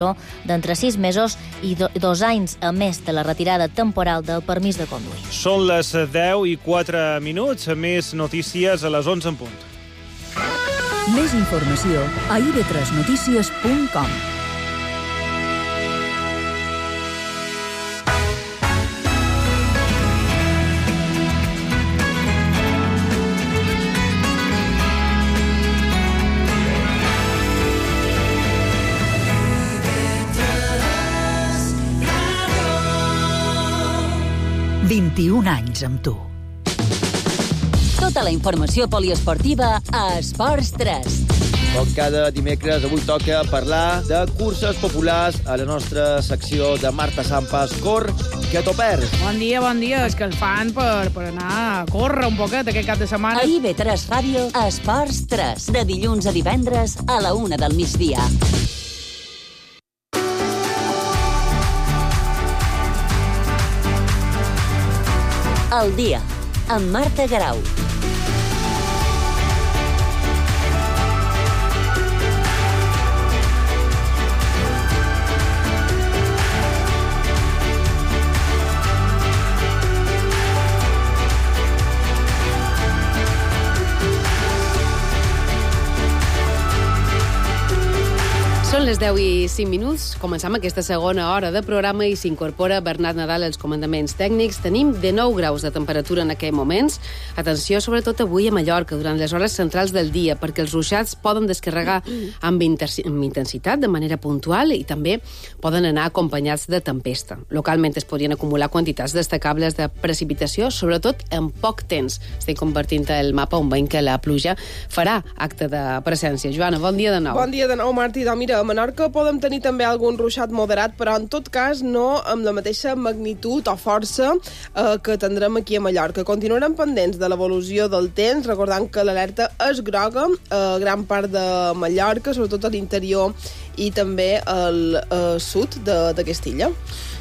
d'entre 6 mesos i 2 anys a més de la retirada temporal del permís de conduir. Són les 10:04, més notícies a les 11 en punt. Més informació a ib3notícies.com. anys amb tu. Tota la informació poliesportiva a Esports 3. Com cada dimecres, avui toca parlar de curses populars a la nostra secció de Marta Sampas. Cor, que t'ho perds. Bon dia. És que el fan per anar a córrer un poquet aquest cap de setmana. A IB3 Ràdio, Esports 3. De dilluns a divendres a la 1 del migdia. El dia, amb Marta Garau. Són les 10:05. Comencem aquesta segona hora de programa i s'incorpora Bernat Nadal als comandaments tècnics. Tenim 19 graus de temperatura en aquests moments. Atenció, sobretot avui a Mallorca, durant les hores centrals del dia, perquè els ruixats poden descarregar amb intensitat, de manera puntual, i també poden anar acompanyats de tempesta. Localment es podrien acumular quantitats destacables de precipitació, sobretot en poc temps. Estem convertint el mapa on veiem que la pluja farà acte de presència. Joana, bon dia de nou. Bon dia de nou, Martí. Mira, a Menorca podem tenir també algun ruixat moderat, però en tot cas no amb la mateixa magnitud o força que tindrem aquí a Mallorca. Continuarem pendents de l'evolució del temps, recordant que l'alerta és groga a gran part de Mallorca, sobretot a l'interior i també al sud d'aquesta illa.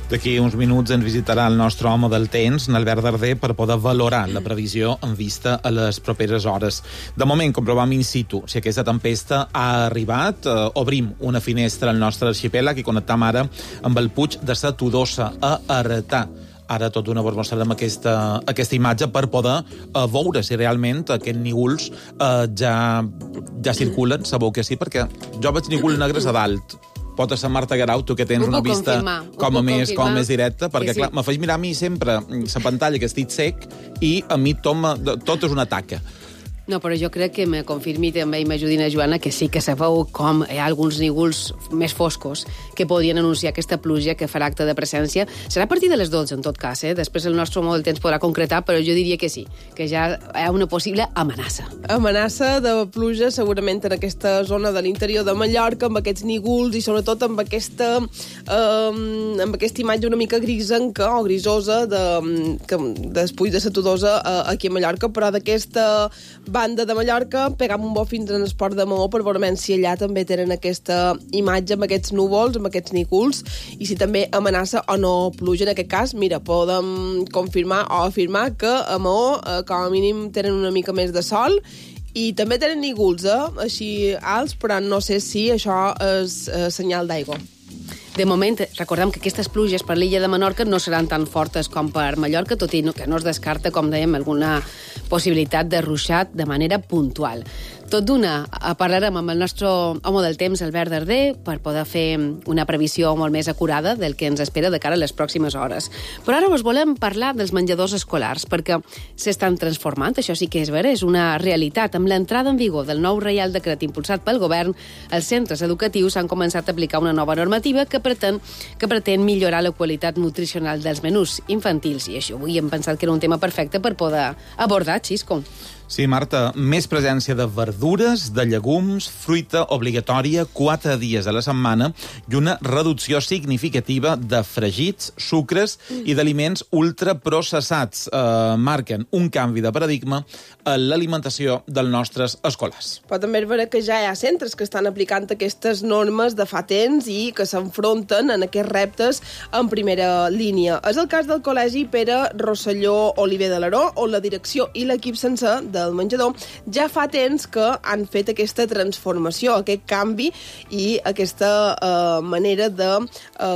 D'aquí uns minuts ens visitarà el nostre home del temps, Albert Darder, per poder valorar la previsió en vista a les properes hores. De moment, comprovam in situ si aquesta tempesta ha arribat. Obrim una finestra al nostre arxipèlag i connectam ara amb el Puig de sa Todosa, a Arretà. Ara tot d'una vos mostrarem aquesta imatge per poder veure si realment aquests nígols ja circulen. Sabeu que sí, perquè jo veig nígols negres a dalt. Pot ser Marta Garau, tu que tens una vista com a més directa, perquè clar, me faig mirar a mi sempre la pantalla que estic sec i a mi tot és una taca. No, però jo crec que me confirmi també i m'ajudi a Joana que sí que sabeu com hi ha alguns nígols més foscos que podrien anunciar aquesta pluja que farà acte de presència. Serà a partir de les 12, en tot cas, Després el nostre home del temps podrà concretar, però jo diria que sí, que ja hi ha una possible amenaça. Amenaça de pluja segurament en aquesta zona de l'interior de Mallorca, amb aquests nígols i sobretot amb aquesta imatge una mica grisenca o grisosa del Puig de sa Todosa aquí a Mallorca, però d'aquesta banda de Mallorca, pegam un bo fins en Esport de Maó per veure si allà també tenen aquesta imatge amb aquests núvols, amb aquests nígols, i si també amenaça o no pluja. En aquest cas, mira, podem confirmar o afirmar que a Maó com a mínim tenen una mica més de sol i també tenen nígols, així alts, però no sé si això és senyal d'aigua. De moment, recordem que aquestes pluges per l'illa de Menorca no seran tan fortes com per Mallorca, tot i que no es descarta, com dèiem, alguna possibilitat de ruixat de manera puntual. Tot d'una, parlarem amb el nostre home del temps, Albert Darder, per poder fer una previsió molt més acurada del que ens espera de cara a les pròximes hores. Però ara us volem parlar dels menjadors escolars, perquè s'estan transformant, això sí que és vera, és una realitat. Amb l'entrada en vigor del nou Reial Decret impulsat pel govern, els centres educatius han començat a aplicar una nova normativa que pretén millorar la qualitat nutricional dels menús infantils, i això avui hem pensat que era un tema perfecte per poder abordar, Xisco. Sí, Marta, més presència de verdures, de llegums, fruita obligatòria 4 dies a la setmana i una reducció significativa de fregits, sucres i d'aliments ultraprocessats. Marquen un canvi de paradigma a l'alimentació dels nostres escolars. Però també és vera que ja hi ha centres que estan aplicant aquestes normes de fa temps i que s'enfronten en aquests reptes en primera línia. És el cas del Col·legi Pere Rosselló Oliver de l'Aró, on la direcció i l'equip sencer de del menjador, ja fa temps que han fet aquesta transformació, aquest canvi i aquesta manera de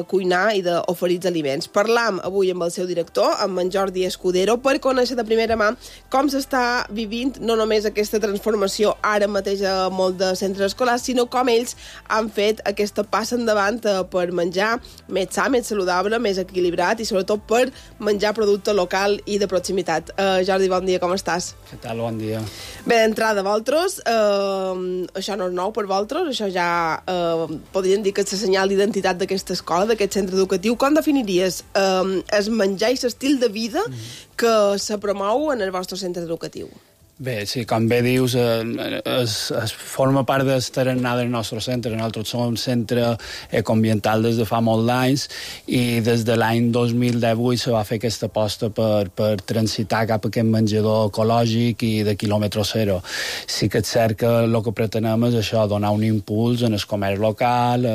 cuinar i d'oferir els aliments. Parlam avui amb el seu director, amb en Jordi Escudero, per conèixer de primera mà com s'està vivint no només aquesta transformació ara mateix a molt de centres escolars, sinó com ells han fet aquesta passa endavant per menjar més sa, més saludable, més equilibrat i sobretot per menjar producte local i de proximitat. Jordi, bon dia, com estàs? Què tal, bon dia. Bé, d'entrada, vosaltres, això no és nou per vosaltres, això ja podríem dir que és el senyal d'identitat d'aquesta escola, d'aquest centre educatiu. Com definiries el menjar i l'estil de vida que se promou en el vostre centre educatiu? Bé, sí, com bé dius, es forma part del tarannà del nostre centre. Nosaltres som un centre ecoambiental des de fa molts anys i des de l'any 2018 se va fer aquesta aposta per transitar cap a aquest menjador ecològic i de quilòmetre zero. Sí que és cert que el que pretenem és això, donar un impuls en el comerç local,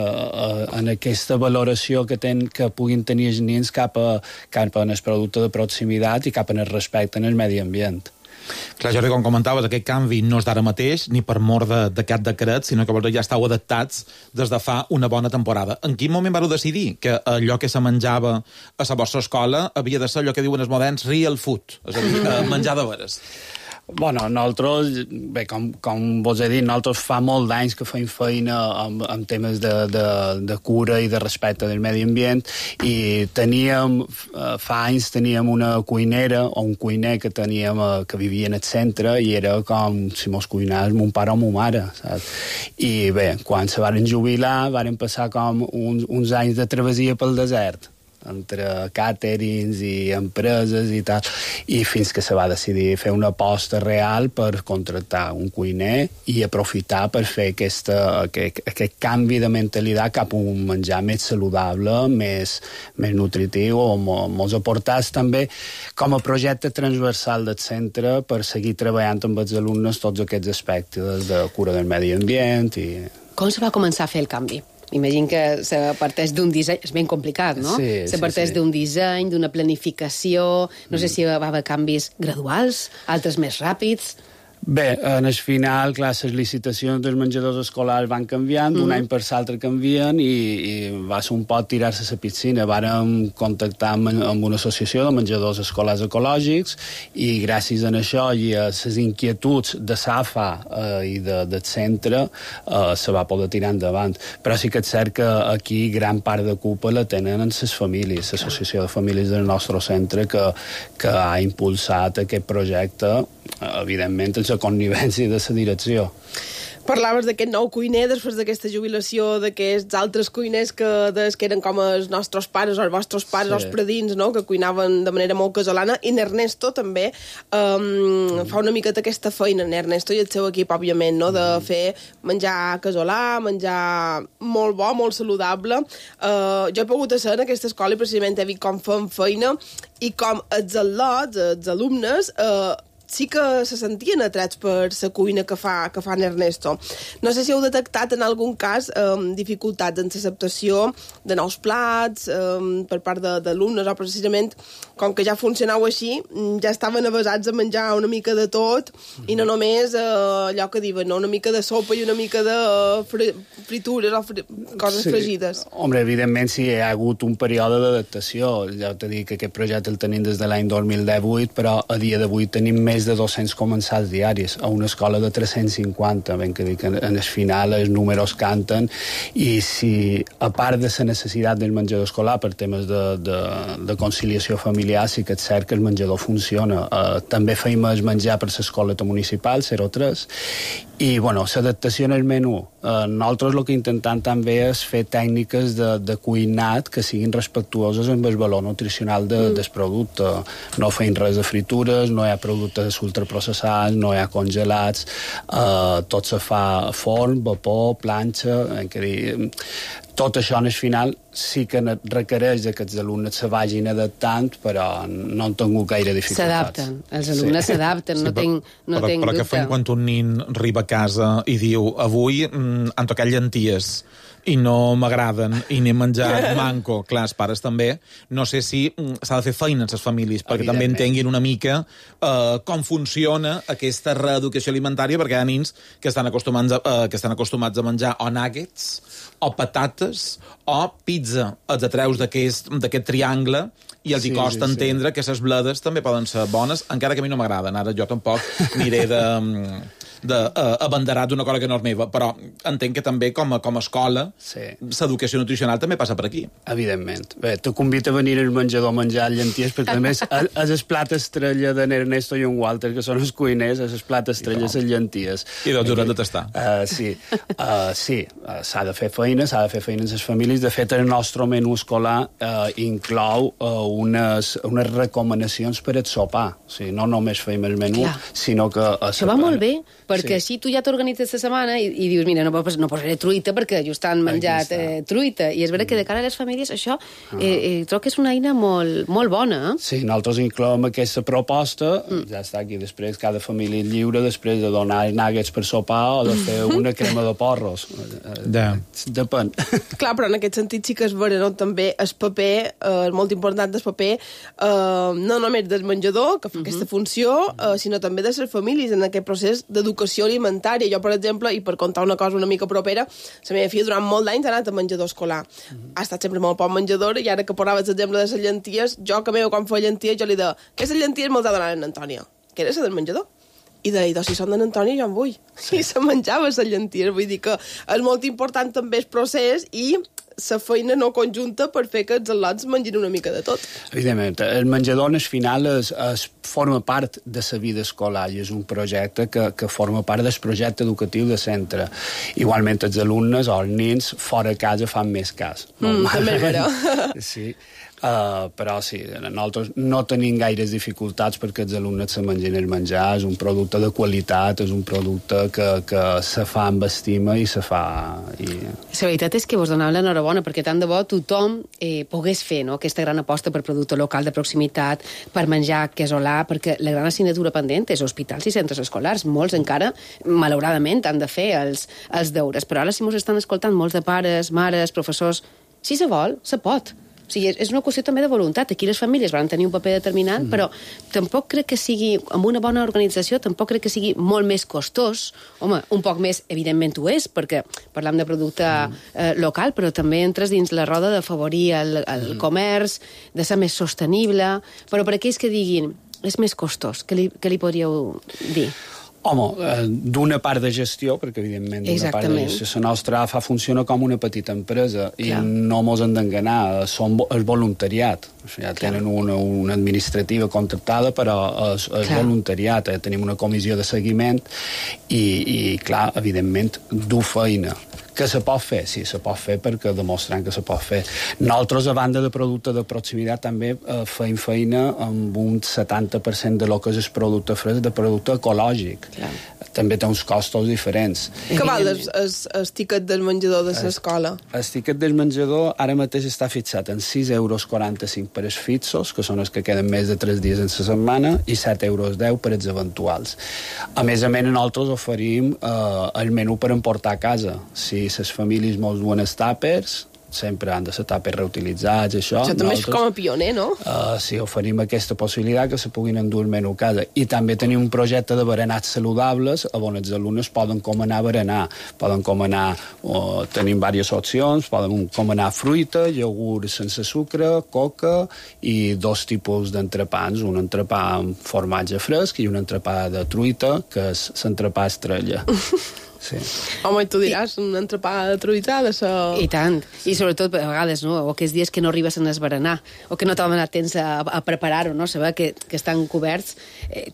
en aquesta valoració que puguin tenir els nens cap a el producte de proximitat i cap a el respecte en el medi ambient. Clar, Jordi, com comentaves, aquest canvi no és d'ara mateix, ni per mor d'aquest decret, sinó que vosaltres ja estàu adaptats des de fa una bona temporada. En quin moment vareu decidir que allò que se menjava a la vostra escola havia de ser allò que diuen els moderns real food, és a dir, menjar de veres? Bueno, nosaltres, bé, com vos he dit, nosaltres fa molt d'anys que fem feina amb temes de cura i de respecte del medi ambient i fa anys teníem una cuinera o un cuiner que vivia en el centre i era com si mos cuinés mon pare o mon mare, saps? I bé, quan se varen jubilar, varen passar com uns anys de travessia pel desert, entre càterings i empreses i tal, i fins que se va decidir fer una aposta real per contractar un cuiner i aprofitar per fer aquest canvi de mentalitat cap a un menjar més saludable, més nutritiu, o mos aportats també com a projecte transversal del centre per seguir treballant amb els alumnes tots aquests aspectes de cura del medi ambient. Com se va començar a fer el canvi? Imagino que se parteix d'un disseny... És ben complicat, no? Sí, se parteix d'un disseny, d'una planificació... No sé si va haver canvis graduals, altres més ràpids... Bé, en el final, clar, les licitacions dels menjadors escolars van canviant, d'un any per l'altre canvien i va ser un pot tirar-se a la piscina. Vàrem contactar amb una associació de menjadors escolars ecològics i gràcies a això i a les inquietuds de SAFA i del centre se va poder tirar endavant. Però sí que és cert que aquí gran part de culpa la tenen les famílies, l'associació de famílies del nostre centre que ha impulsat aquest projecte, evidentment, la connivència de la direcció. Parlaves d'aquest nou cuiner després d'aquesta jubilació d'aquests altres cuiners que eren com els nostres pares o els vostres pares, els predins, no? Que cuinaven de manera molt casolana, i Ernesto també fa una miqueta aquesta feina, Ernesto i el seu equip, òbviament, no? De fer menjar casolà, menjar molt bo, molt saludable. Jo he pogut ser en aquesta escola i precisament he vist com fem feina i com els al·lots, els alumnes, sí que se sentien atrats per la cuina que fa en Ernesto. No sé si heu detectat en algun cas dificultats en l'acceptació de nous plats per part d'alumnes, o precisament com que ja funcionau així, ja estaven avesats a menjar una mica de tot i no només allò que diuen, no? Una mica de sopa i una mica de fritures o coses fregides. Home, evidentment sí, hi ha hagut un període d'adaptació. Ja t'he dit que aquest projecte el tenim des de l'any 2018, però a dia d'avui tenim més de 200 comensals diaris a una escola de 350, ben que dic, en el final els números canten, i si a part de la necessitat del menjador escolar per temes de conciliació familiar, sí que és cert que el menjador funciona. També feim el menjar per l'escoleta municipal 03 i, bueno, l'adaptació en el menú. Nosaltres el que intentem també és fer tècniques de cuinat que siguin respectuoses amb el valor nutricional del producte. No feim res de fritures, no hi ha productes ultraprocessats, no hi ha congelats, tot se fa a forn, vapor, planxa, tot això en el final sí que requereix que els alumnes se vagin adaptant, però no han tingut gaire dificultats. S'adapten, els alumnes s'adapten, no tinc dubte. Però què fem quan un nin arriba a casa i diu avui han tocat llenties i no m'agraden, i n'he menjat manco. Clar, els pares també. No sé si s'ha de fer feina en les famílies, perquè també entenguin una mica com funciona aquesta reeducació alimentària, perquè hi ha nins que estan acostumats a menjar o nuggets, o patates, o pizza. Els atreus d'aquest triangle i els hi costa entendre que les bledes també poden ser bones, encara que a mi no m'agraden. Ara jo tampoc aniré d'abanderat d'una cosa que no és meva, però entenc que també com a escola l'educació nutricional també passa per aquí. Evidentment. Bé, te convido a venir al menjador a menjar llenties, perquè a més és el plat estrella d'en Ernesto i en Walter, que són els cuiners, és el plat estrella les llenties. I doncs haurem de tastar. Sí, s'ha de fer feina en les famílies. De fet, el nostre menú escolar inclou unes recomanacions per al sopar. O sigui, no només feim el menú, sinó que... Això va molt bé, perquè així tu ja t'organitzes la setmana i dius, mira, no posaré truita perquè just han menjat truita. I és vera que de cara a les famílies això trobo que és una eina molt bona. Sí, nosaltres incloem aquesta proposta, ja està aquí, després cada família lliure, després de donar nuggets per sopar o de fer una crema de porros. Depèn. Clar, però en aquest sentit sí que és vera, no? També el paper, és molt important el paper, no només del menjador, que fa aquesta funció, sinó també de les famílies en aquest procés d'educació alimentària. Jo, per exemple, i per contar una cosa una mica propera, la meva filla durant molt d'anys ha anat a menjador escolar. Ha estat sempre molt poc menjador, i ara que parlaves l'exemple de les llenties, jo que meva quan feia llenties, jo li deia, aquestes llenties me'ls ha donat l'Antònia, que era la del menjador. I deia, si són d'en Antònia jo en vull. I se menjava les llenties. Vull dir que és molt important també el procés i la feina no conjunta per fer que els al·lots mengin una mica de tot. Evidentment, el menjador al final forma part de la vida escolar i és un projecte que forma part del projecte educatiu de centre. Igualment els alumnes o els nens fora de casa fan més cas. També és vera. Sí. Però sí, nosaltres no tenim gaires dificultats perquè els alumnes se mengin el menjar, és un producte de qualitat, és un producte que se fa amb estima i se fa... La veritat és que vos donava l'enhorabona perquè tant de bo tothom pogués fer aquesta gran aposta per producte local de proximitat, per menjar casolà, perquè la gran assignatura pendent és hospitals i centres escolars. Molts encara, malauradament, han de fer els deures, però ara si mos estan escoltant molts de pares, mares, professors, si se vol, se pot. O sigui, és una qüestió també de voluntat. Aquí les famílies van tenir un paper determinant, però tampoc crec que sigui, amb una bona organització, tampoc crec que sigui molt més costós. Home, un poc més, evidentment ho és, perquè parlam de producte local, però també entres dins la roda d'afavorir el comerç, de ser més sostenible. Però per aquells que diguin, és més costós, què li podríeu dir? Home, d'una part de gestió, perquè evidentment d'una part de gestió, la nostra AFA funciona com una petita empresa i no mos hem d'enganar, és voluntariat. Ja tenen una administrativa contractada, però és voluntariat. Tenim una comissió de seguiment i clar, evidentment, du feina. Que se pot fer? Sí, se pot fer perquè demostrant que se pot fer. Nosaltres, a banda de producte de proximitat, també feim feina amb un 70% de lo que és el producte fresc, de producte ecològic. També té uns costos diferents. Què val el tiquet del menjador de l'escola? El tiquet del menjador ara mateix està fixat en 6,45 € per als fixos, que són els que queden més de 3 dies en la setmana, i 7,10 € per als eventuals. A més, nosaltres oferim el menú per emportar a casa. Si les famílies mos duen els tàpers, sempre han de ser tàpers reutilitzats, això. Això també és com a pioner, no? Sí, oferim aquesta possibilitat que se puguin endur el menú a casa. I també tenim un projecte de berenats saludables on els alumnes poden comanar berenar. Poden comanar, tenim diverses opcions, poden comanar fruita, iogurt sense sucre, coca i 2 tipus d'entrepans, un entrepà amb formatge fresc i un entrepà de truita, que és l'entrepà estrella. Sí. Home, tu diràs, un entrepà de truita de ser... I tant. I sobretot, a vegades, no? O aquells dies que no arribes a esberenar, o que no t'han donat temps a preparar-ho, no? Saber que estan coberts.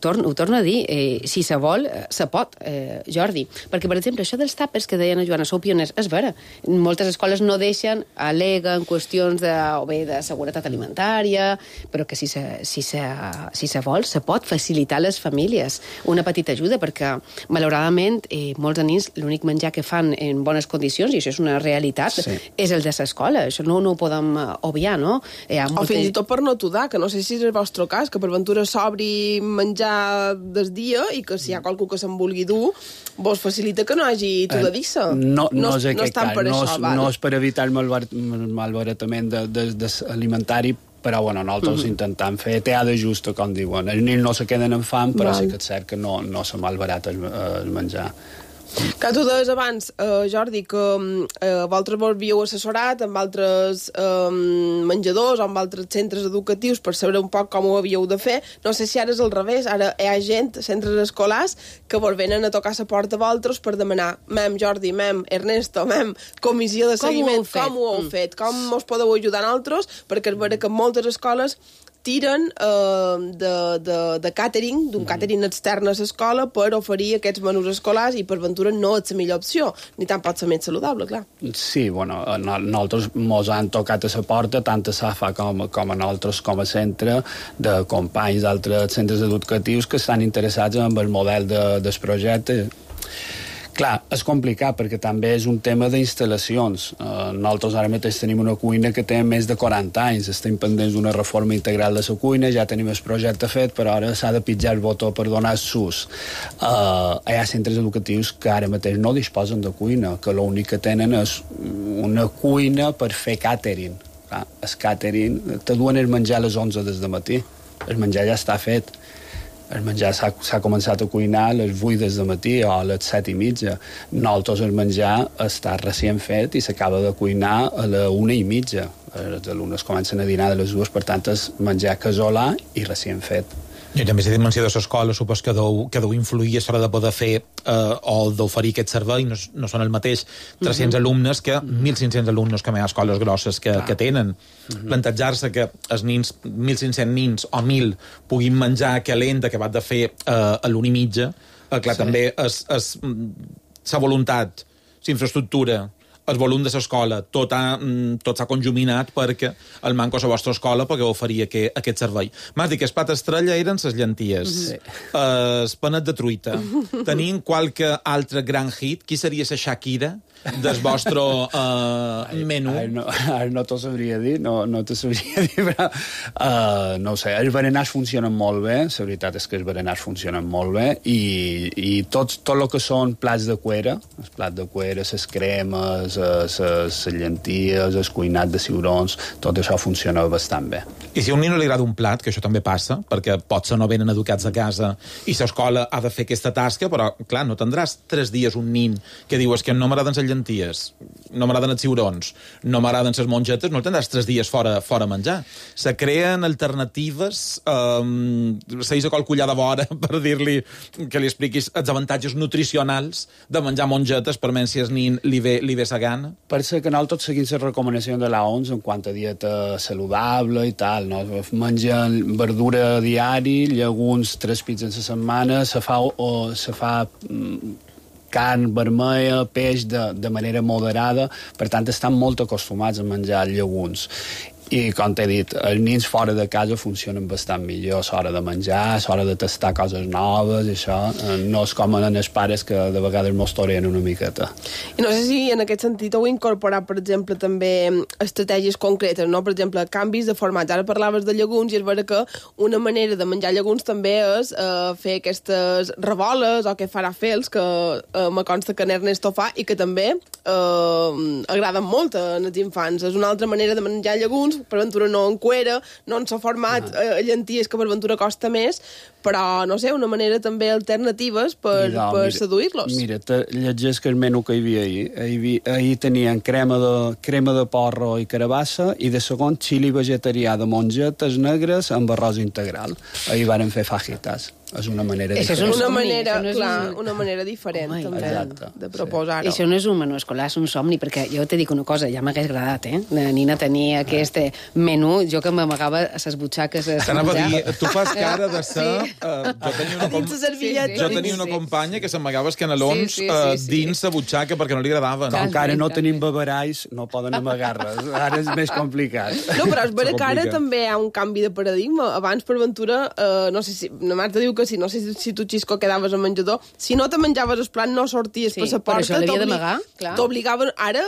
Ho torno a dir, si se vol, se pot, Jordi. Perquè, per exemple, això dels tàpers que deien a Joana, sou pioners, és vera. Moltes escoles no deixen, aleguen qüestions de seguretat alimentària, però que si se vol, se pot facilitar a les famílies una petita ajuda, perquè, malauradament, molts nens nens l'únic menjar que fan en bones condicions, i això és una realitat, és el de l'escola. Això no ho podem obviar, no? O fins i tot per no tudar, que no sé si és el vostre cas, que per ventura s'obri menjar del dia i que si hi ha qualcú que se'n vulgui dur, vos facilita que no hagi tudadissa. No és aquest cas. No és per evitar el malbaratament alimentari, però nosaltres intentem fer teà de justa, com diuen. Els nens no se queden amb fam, però sí que és cert que no se malbarata el menjar. Que tu deies abans, Jordi, que vosaltres vos havíeu assessorat amb altres menjadors o amb altres centres educatius per saber un poc com ho havíeu de fer. No sé si ara és al revés, ara hi ha gent, centres escolars, que vos venen a tocar la porta a vosaltres per demanar mem, Jordi, mem, Ernesto, mem, comissió de seguiment, com ho heu fet, com us podeu ajudar nosaltres, perquè és vera que moltes escoles tiren de catering, d'un catering extern a l'escola per oferir aquests menús escolars i per ventura no és la millor opció, ni tampoc la més saludable, clar. Sí, nosaltres mos han tocat a la porta, tant a SAFA com a nosaltres com a centre, de companys d'altres centres educatius que estan interessats en el model del projecte. Clar, és complicat perquè també és un tema d'instal·lacions. Nosaltres ara mateix tenim una cuina que té més de 40 anys. Estem pendents d'una reforma integral de la cuina, ja tenim el projecte fet, però ara s'ha de pitjar el botó per donar SUS. Hi ha centres educatius que ara mateix no disposen de cuina, que l'únic que tenen és una cuina per fer catering. El catering, te duen el menjar a les 11 des de matí. El menjar ja està fet. El menjar s'ha començat a cuinar a les 8 des de matí o a les 7:30. Nosaltres el menjar està recient fet i s'acaba de cuinar a les 1:30. Els alumnes comencen a dinar de les 2, per tant és menjar casolà i recient fet. I també la dimensió de l'escola supos que deu influir a l'hora de poder fer o d'oferir aquest servei. No són el mateix 300 alumnes que 1.500 alumnes que hi ha escoles grosses que tenen. Plantejar-se que els nens, 1.500 nens o 1.000 puguin menjar calent acabat de fer a l'1:30, clar, també és la voluntat, la infraestructura, el volum de l'escola, tot s'ha conjuminat perquè el manco a la vostra escola pugueu oferir aquest servei. M'has dit que el plat estrella eren les llenties, el panet de truita. Tenim qualque altre gran hit? Qui seria la Shakira del vostre menú? Ara no t'ho sabria dir, no t'ho sabria dir, però no ho sé, els berenars funcionen molt bé, la veritat és que els berenars funcionen molt bé, i tot el que són plats de cuera, els plats de cuera, les cremes, les llenties, el cuinat de ciurons, tot això funciona bastant bé. I si a un nen no li agrada un plat, que això també passa, perquè potser no venen educats a casa i l'escola ha de fer aquesta tasca, però, clar, no tindràs 3 dies un nen que diu que no m'agraden les llenties, no m'agraden els ciurons, no m'agraden les mongetes, no el tindràs 3 dies fora a menjar. Se creen alternatives, segueix a qual collar de vora per dir-li que li expliquis els avantatges nutricionals de menjar mongetes per menys si el nen li ve sa gana. Per ser que nosaltres seguim les recomanacions de l'OMS en quant a dieta saludable i tal, no? Mengen verdura diari, llegums 3 pizzas a la setmana, se fa carn vermella, peix de manera moderada, per tant estan molt acostumats a menjar llegums. I, com t'he dit, els nens fora de casa funcionen bastant millor a l'hora de menjar, a l'hora de tastar coses noves, i això no és com en els pares que de vegades mos torien una miqueta. I no sé si en aquest sentit heu incorporat, per exemple, també estratègies concretes, no? Per exemple, canvis de formats. Ara parlaves de llegums i és vera que una manera de menjar llegums també és fer aquestes reboles o que farà fels, que me consta que Ernesto fa i que també agraden molt als infants. És una altra manera de menjar llegums, per ventura no en cuera, no en s'ha format llenties que per ventura costa més, però, no sé, una manera també alternatives per seduir-los. Mira, llegeix que el menú que hi havia ahir. Ahir tenien crema de porro i carabassa i de segon xili vegetarià de mongetes negres amb arròs integral. Ahir varen fer fajitas. És una manera diferent. Una manera diferent, també, de proposar-ho. Això no és un menú escolar, és un somni, perquè jo te dic una cosa, ja m'hagués agradat, de nina tenir aquest menú, jo que m'amagava a les butxaques a menjar. A dir, tu fas cara de ser... Jo tenia una companya que s'amagava els canelons dins la butxaca perquè no li agradaven. Com que ara no tenim beberalls, no poden amagar res. Ara és més complicat. No, però és vera que ara també hi ha un canvi de paradigma. Abans, per ventura, no sé si... La Marta diu que que si no sé si tu, Xisco, quedaves al menjador, si no te menjaves el plat, no sorties per la porta. Per això l'havia d'amagar, clar. T'obligaven... Ara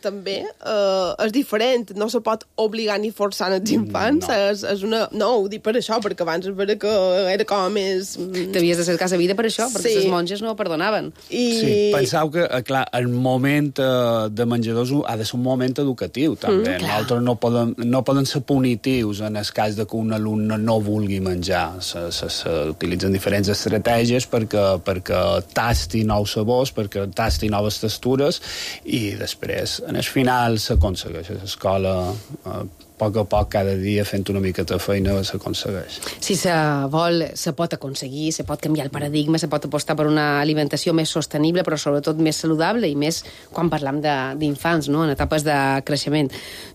també és diferent, no se pot obligar ni forçar els infants. És una... No, ho dic per això, perquè abans és vera que era com més... T'havies de cercar la vida per això, perquè les monges no ho perdonaven. Sí, penseu que, clar, el moment de menjadors ha de ser un moment educatiu, també. Nosaltres no poden ser punitius en el cas de que un alumne no vulgui menjar. S'utilitzen diferents estratègies perquè tasti nous sabors, perquè tasti noves textures, i després, en el final, s'aconsegueix. A l'escola, a poc a poc, cada dia, fent una mica de feina, s'aconsegueix. Si se vol, se pot aconseguir, se pot canviar el paradigma, se pot apostar per una alimentació més sostenible, però sobretot més saludable, i més quan parlam d'infants, no?, en etapes de creixement.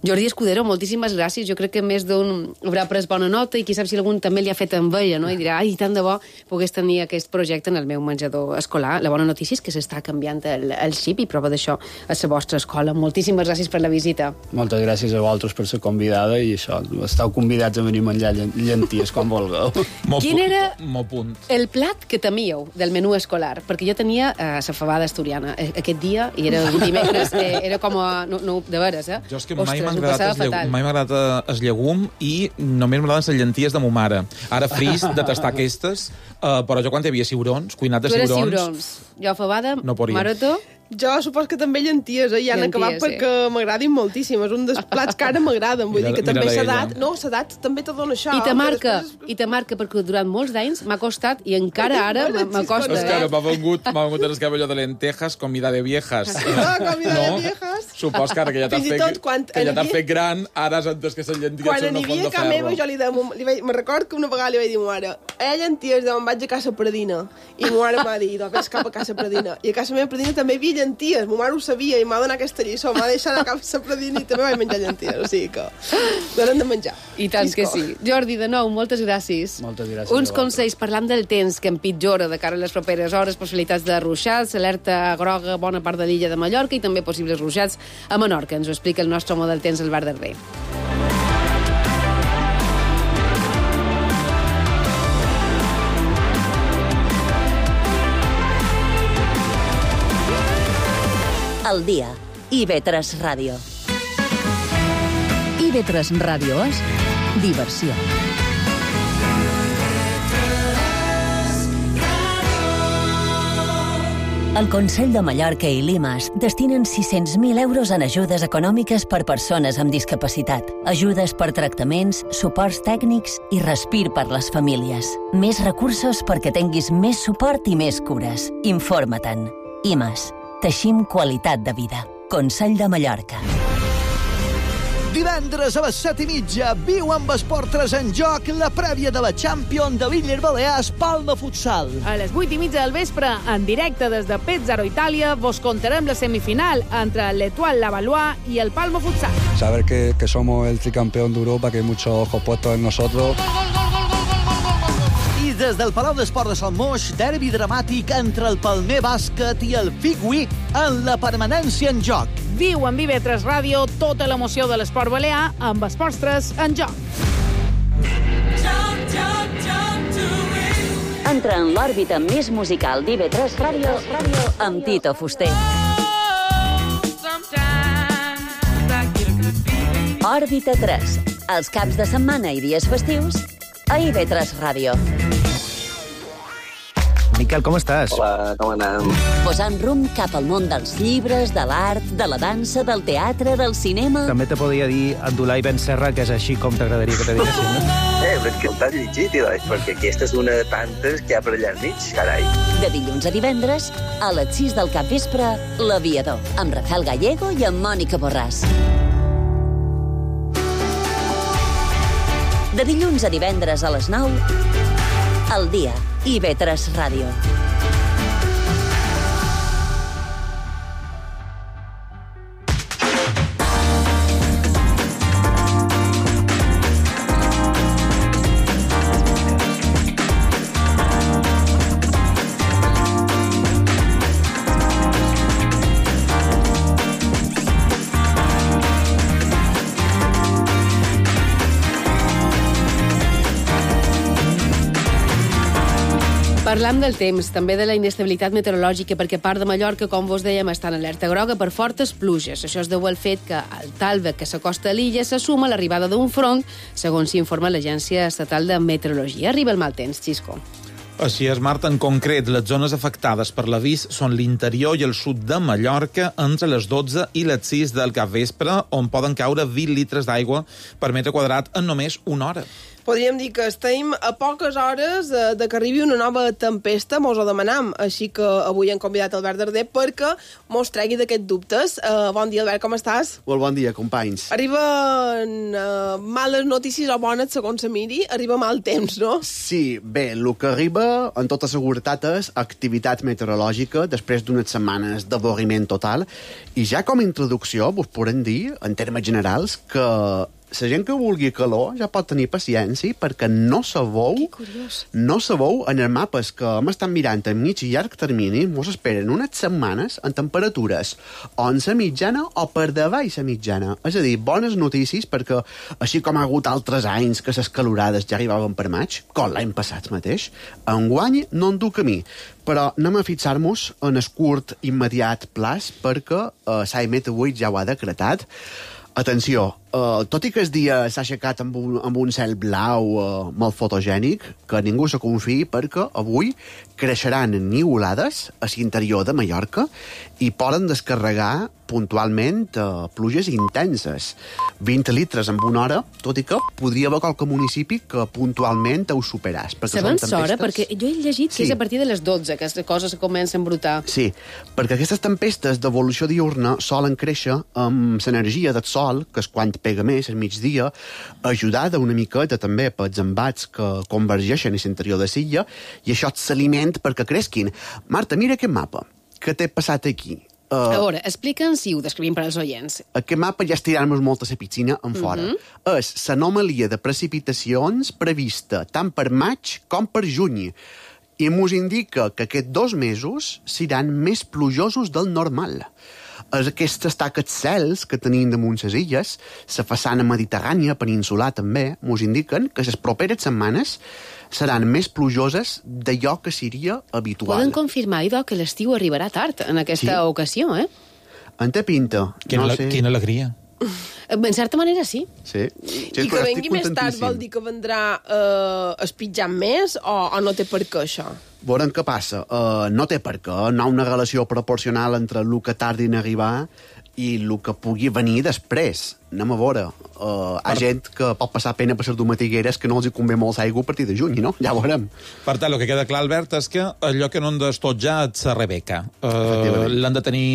Jordi Escudero, moltíssimes gràcies. Jo crec que més d'un haurà pres bona nota, i qui sap si algun també li ha fet enveja, no?, i dirà, ai, tant de bo pogués tenir aquest projecte en el meu menjador escolar. La bona notícia és que s'està canviant el xip, i prova d'això a la vostra escola. Moltíssimes gràcies per la visita. Moltes gràcies a vosaltres per ser convidada, i això, esteu convidats a venir a menjar llenties quan vulgueu. Quin era el plat que temíeu del menú escolar? Perquè jo tenia la fabada asturiana aquest dia, i era un dimecres, era com a... No, de veres, eh? Jo és que mai m'ha agradat el llegum, i només m'agraden les llenties de mo mare. Ara fris de tastar aquestes, però jo quan hi havia ciurons, cuinat de ciurons... Tu eres ciurons. Jo fabada, no Maroto... Jo supos que també llenties, i han acabat perquè m'agradin moltíssim. És un dels plats que ara m'agraden. Vull dir que també s'edat... No, s'edat també te dona això. I te marca, perquè durant molts d'anys m'ha costat, i encara ara m'acosta. És que m'ha vengut el que allò de lentejas, comida de viejas. Comida de viejas. Supos que ara que ja t'has fet gran, ara has entès que les llenties són una font de ferro. Quan n'hi havia jo li vaig... Me record que una vegada li vaig dir a ma mare, llenties, me'n vaig a Casa Pradina. I ma mare m'ha dit, ves cap a Casa Pradina. I a Casa meva Pradina també hi havia llenties. Ma mare ho sabia i m'ha donat aquesta lliçó. M'ha deixat a Casa Pradina i també vaig menjar llenties. O sigui que donen de menjar. I tant que sí. Jordi, de nou, moltes gràcies. Moltes gràcies. Uns consells, parlant del temps que empitjora de cara a les properes hores, possibilitats de ruixats, alerta groga bona part de l'illa de Mallorca, i també possibles ruixats a Menorca. Ens ho explica el nostre home del temps, el Bar del Rei. Al dia. IB3 Ràdio. IB3 Ràdio és diversió. El Consell de Mallorca i l'IMAS destinen 600.000 euros en ajudes econòmiques per persones amb discapacitat, ajudes per tractaments, suports tècnics i respir per les famílies. Més recursos perquè tinguis més suport i més cures. Informa-te'n. IMAS. Teixim qualitat de vida. Consell de Mallorca. Divendres a les 7:30 viu amb Esport3 en joc la prèvia de la Champions de l'Illes Balears Palma Futsal. A les 8:30 del vespre, en directe des de Pezzaro, Itàlia, vos contarem la semifinal entre l'Etoile Lavallois i el Palma Futsal. Saber que somos el tricampeón de Europa, que hay muchos ojos puestos en nosotros. I des del Palau d'Esport de Salmoix, derbi dramàtic entre el Palmer Bàsquet i el Figui en la permanència en joc. Viu en IB3 Ràdio tota l'emoció de l'esport balear amb Esports3 en joc. Entra en l'òrbita més musical d'IB3 Ràdio amb Tito Fuster. Òrbita 3. Els caps de setmana i dies festius a IB3 Ràdio. Miquel, com estàs? Hola, com anem? Posant rumb cap al món dels llibres, de l'art, de la dansa, del teatre, del cinema... També te podria dir Abdulai Ben Serra, que és així com t'agradaria que te diguessin, no? Però que t'has llegit, perquè aquesta és una de tantes que hi ha per allà enmig, carai. De dilluns a divendres, a les 6 del capvespre, L'Aviador, amb Rafael Gallego i amb Mònica Borràs. De dilluns a divendres a les 9, al dia, IB3 Ràdio. Parlam del temps, també de la inestabilitat meteorològica, perquè part de Mallorca, com vos dèiem, està en alerta groga per fortes pluges. Això es deu al fet que al talve que s'acosta a l'illa se suma l'arribada d'un front, segons s'informa l'Agència Estatal de Meteorologia. Arriba el mal temps, Xisco. Així és, Marta. En concret, les zones afectades per l'avís són l'interior i el sud de Mallorca entre les 12 i les 6 del capvespre, on poden caure 20 litres d'aigua per metre quadrat en només una hora. Podríem dir que estem a poques hores de que arribi una nova tempesta, mos ho demanam, així que avui hem convidat Albert Darder perquè mos tregui d'aquests dubtes. Bon dia, Albert, com estàs? Molt bon dia, companys. Arriben males notícies o bones, segons se miri, arriba mal temps, no? Sí, bé, el que arriba, en tota seguretat, és activitat meteorològica després d'unes setmanes d'avorriment total, i ja com a introducció vos podem dir, en termes generals, que la gent que vulgui calor ja pot tenir paciència perquè no sabeu en els mapes que hem estat mirant a mig i llarg termini mos esperen unes setmanes en temperatures o en la mitjana o per davall la mitjana. És a dir, bones notícies perquè així com ha hagut altres anys que les calorades ja arribaven per maig, com l'any passat mateix, enguany no en du camí. Però anem a fixar-nos en el curt immediat plaç perquè l'AEMET avui ja ho ha decretat. Atenció, tot i que el dia s'ha aixecat amb un cel blau molt fotogènic, que ningú se confiï perquè avui creixeran niulades a l'interior de Mallorca i poden descarregar puntualment pluges intenses. 20 litres en una hora, tot i que podria haver qualque municipi que puntualment ho superàs. Sabem s'hora, perquè jo he llegit que és a partir de les 12 que les coses comencen a embrutar. Sí, perquè aquestes tempestes d'evolució diurna solen créixer amb l'energia del sol, que és quan pega més al migdia, ajudada una miqueta també pels embats que convergeixen a l'interior de l'illa, i això s'aliment perquè cresquin. Marta, mira aquest mapa que t'he passat aquí. A veure, explica'ns si ho descrivim per als oients. Aquest mapa ja estirant-nos molt a la piscina en fora. És l'anomalia de precipitacions prevista tant per maig com per juny. I mos indica que aquests 2 mesos seran més plujosos del normal. Aquestes taques cels que tenim damunt les illes, la façana mediterrània, peninsular també, mos indiquen que les properes setmanes seran més plujoses d'allò que seria habitual. Poden confirmar, idò, que l'estiu arribarà tard en aquesta ocasió, eh? En té pinta. Quina alegria. En certa manera, sí. I que vengui més tard vol dir que vendrà espitjant més o no té per què això? Veurem què passa. No té per què. No hi ha una relació proporcional entre el que tardi en arribar i el que pugui venir després. Anem a veure. Hi ha gent que pot passar pena per les domatigueres que no els hi convé molt aigua a partir de juny, no? Ja ho veurem. Per tant, el que queda clar, Albert, és que allò que no han d'estotjar és la Rebeca. L'han de tenir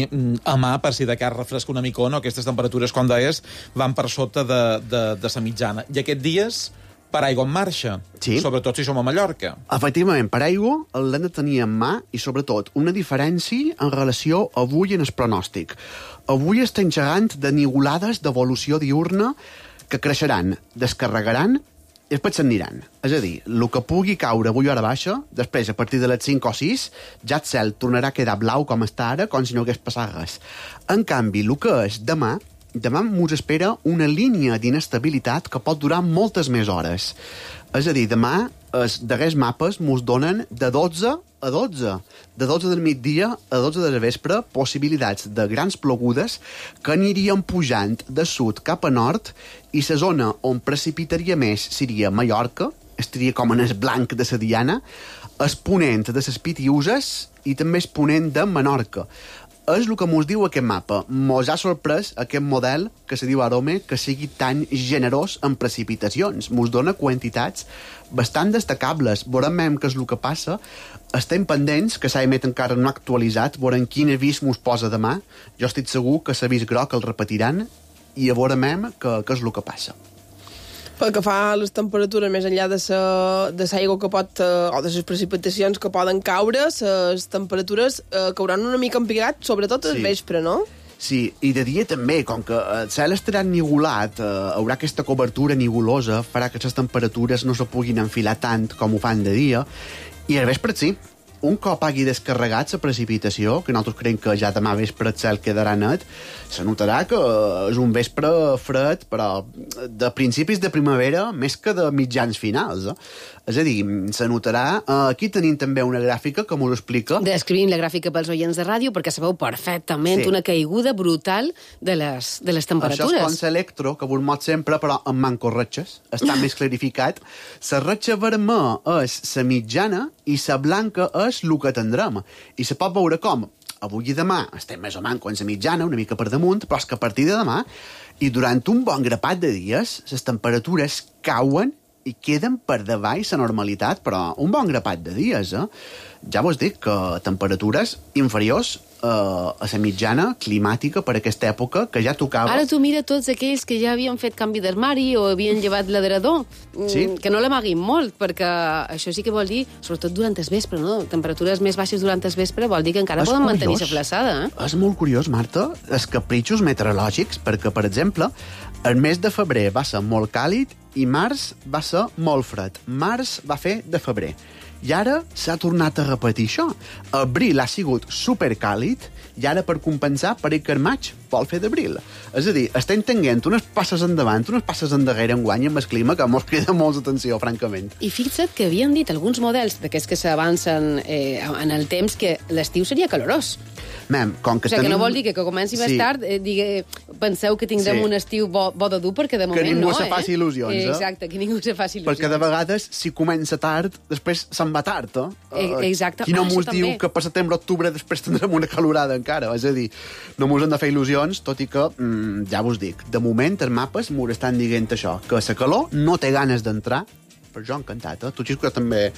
a mà per si de cas refresca una mica o no. Aquestes temperatures, com deies, van per sota de la mitjana. I aquests dies per aigua en marxa, sobretot si som a Mallorca. Efectivament, per aigua l'hem de tenir en mà i, sobretot, una diferència en relació avui en el pronòstic. Avui estem xerrant de niulades d'evolució diurna que creixeran, descarregaran i després s'aniran. És a dir, el que pugui caure avui a hora baixa, després, a partir de les 5 o 6, ja el cel tornarà a quedar blau com està ara, com si no hagués passat res. En canvi, el que és demà mos espera una línia d'inestabilitat que pot durar moltes més hores. És a dir, demà els darrers mapes mos donen de 12 a 12. De 12 del migdia a 12 de la vespre, possibilitats de grans plogudes que anirien pujant de sud cap a nord i la zona on precipitaria més seria Mallorca, estaria com en el blanc de la diana, el ponent de les Pitiuses i també el ponent de Menorca. És el que mos diu aquest mapa. Mos ha sorprès aquest model que se diu Arome que sigui tan generós en precipitacions. Mos dona quantitats bastant destacables. Veurem què és el que passa. Estem pendents, que l'AEMET encara no ha actualitzat, veurem quin avís mos posa demà. Jo estic segur que l'avís groc el repetiran i veurem què és el que passa. Pel que fa a les temperatures, més enllà de l'aigua que pot, o de les precipitacions que poden caure, les temperatures cauran una mica empigat, sobretot al vespre, no? Sí, i de dia també, com que el cel estarà ennigolat, haurà aquesta cobertura nigolosa, farà que les temperatures no se puguin enfilar tant com ho fan de dia, i al vespre sí. un cop hagi descarregat la precipitació, que nosaltres creiem que ja demà vespre el cel quedarà net, se notarà que és un vespre fred, però de principis de primavera més que de mitjans finals. És a dir, se notarà... Aquí tenim també una gràfica que m'ho explica. Descrivim la gràfica pels oients de ràdio perquè sabeu perfectament una caiguda brutal de les temperatures. Això és com l'electro, que vos mot sempre, però amb mancos ratxes. Està més clarificat. La ratxa vermella és la mitjana i la blanca és el que tindrem. I se pot veure com avui i demà estem més o menys com la mitjana, una mica per damunt, però és que a partir de demà i durant un bon grapat de dies les temperatures cauen i queden per davall la normalitat, però un bon grapat de dies, Ja vos dic que temperatures inferiors a la mitjana climàtica per aquesta època, que ja tocava... Ara tu mira tots aquells que ja havien fet canvi d'armari o havien llevat l'adrerador, que no l'amaguin molt, perquè això sí que vol dir, sobretot durant el vespre, no? Temperatures més baixes durant el vespre vol dir que encara poden mantenir-se flaçada. És molt curiós, Marta, els capritxos meteorològics, perquè, per exemple, el mes de febrer va ser molt càlid i març va ser molt fred. Març va fer de febrer. I ara s'ha tornat a repetir això. Abril ha sigut supercàlid i ara, per compensar, pareix que el maig vol fer d'abril. És a dir, estem tenint unes passes endavant, unes passes endarrere enguany amb el clima que mos crida molta atenció, francament. I fixa't que havien dit alguns models d'aquests que s'avancen en el temps que l'estiu seria calorós. Com que que no vol dir que comenci més tard, penseu que tindrem un estiu bo de dur, perquè de moment no. Que ningú se faci il·lusions, Exacte, que ningú se faci il·lusions. Perquè de vegades, si comença tard, després se'n va tard, Exacte. Qui no mos diu que per setembre-octubre després tindrem una calorada encara? És a dir, no mos hem de fer il·lusions, tot i que, ja vos dic, de moment els mapes mos estan dient això, que la calor no té ganes d'entrar, però jo encantat, Tu, Xisco, també...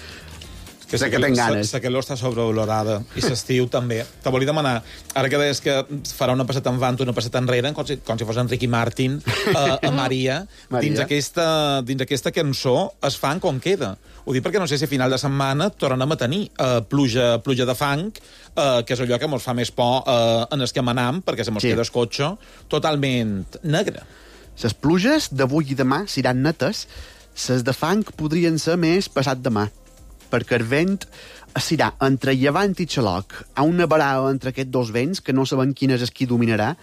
Que sé que tenc ganes. La calor està sobrevalorada i l'estiu també. Te volia demanar, ara que deies que farà una passeta en avant, una passeta enrere, com si fos en Ricky Martin, a Maria, dins aquesta cançó es fan com queda. Ho dic perquè no sé si a final de setmana tornem a tenir pluja de fang, que és allò que ens fa més por en el que manam, perquè se mos queda el cotxe totalment negre. Les pluges d'avui i demà seran netes, les de fang podrien ser més passat demà, perquè el vent serà entre llevant i xaloc. Hi ha una barada entre aquests dos vents que no sabem quin és el qui dominarà.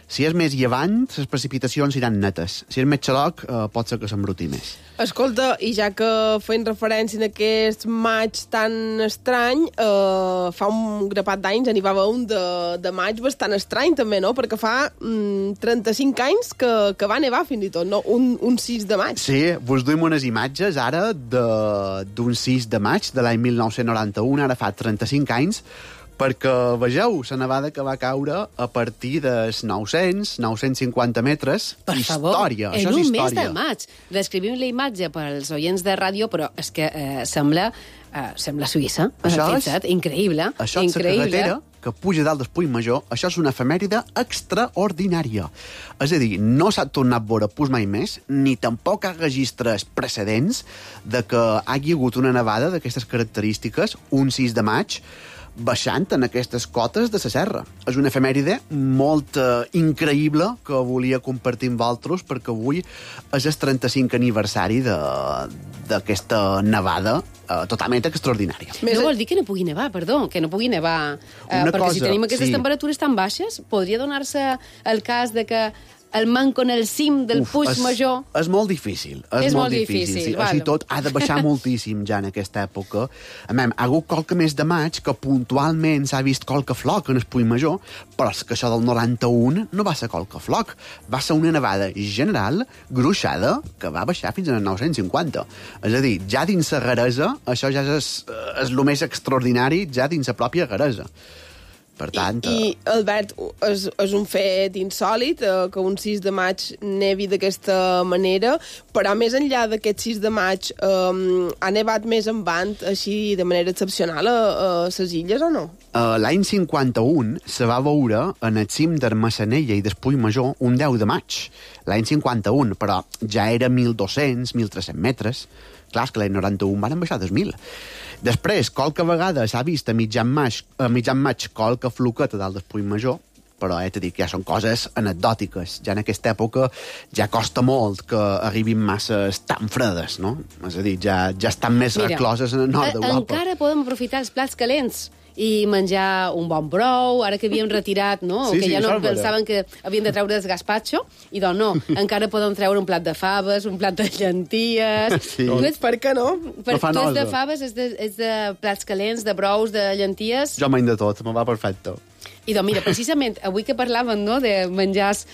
Si és més llevant, les precipitacions seran netes. Si és més xaloc, pot ser que s'embruti més. Escolta, i ja que fent referència a aquest maig tan estrany, fa un grapat d'anys n'hi va haver un de maig bastant estrany també, no? Perquè fa 35 anys que va nevar fins i tot, no? Un 6 de maig. Sí, vos duim unes imatges ara d'un 6 de maig de l'any 1991, ara fa 35 anys, perquè vegeu la nevada que va caure a partir dels 950 metres. Per favor, història. en un mes de maig. Descrivim la imatge pels oients de ràdio, però és que sembla Suïssa. Increïble. Això és la carretera que puja dalt del Puig Major. Això és una efemèride extraordinària. És a dir, no s'ha tornat a veure pus mai més, ni tampoc ha registres precedents de que hagi hagut una nevada d'aquestes característiques, un 6 de maig, baixant en aquestes cotes de la serra. És una efemèride molt increïble que volia compartir amb vosaltres, perquè avui és el 35 aniversari d'aquesta nevada totalment extraordinària. No vol dir que no pugui nevar, que no pugui nevar, perquè si tenim aquestes temperatures tan baixes, podria donar-se el cas de que el manco en el cim del Puig Major... És molt difícil. És molt difícil. Així tot, ha de baixar moltíssim ja en aquesta època. Ha hagut qualque mes de maig que puntualment s'ha vist qualque floc en el Puig Major, però és que això del 91 no va ser qualque floc. Va ser una nevada general, gruixada, que va baixar fins al 950. És a dir, ja dins la Garesa, això ja és el més extraordinari, ja dins la pròpia Garesa. Per tant... I Albert, és un fet insòlid que un 6 de maig nevi d'aquesta manera, però més enllà d'aquest 6 de maig ha nevat més en vant, així de manera excepcional, a les illes o no? L'any 51 se va veure en el cim d'Armassanella i del Puig Major un 10 de maig. L'any 51, però ja era 1.200, 1.300 metres. Clar, és que l'any 91 van baixar 2.000. Després, qualque vegada s'ha vist a mitjan maig qualque floqueta dalt del Puig Major, però t'he dit que ja són coses anecdòtiques. Ja en aquesta època ja costa molt que arribin masses tan fredes, no? És a dir, ja estan més recloses en el nord d'Europa. Encara podem aprofitar els plats calents i menjar un bon brou, ara que havíem retirat, no? Sí, que ja no Salvador. pensaven que havien de treure el gazpacho, i doncs no, encara podem treure un plat de faves, un plat de llenties... Sí. Per què no? Tu ets de faves, és de plats calents, de brous, de llenties... Jo menys de tot, me va perfecte. I doncs mira, precisament, avui que parlàvem no, de menjars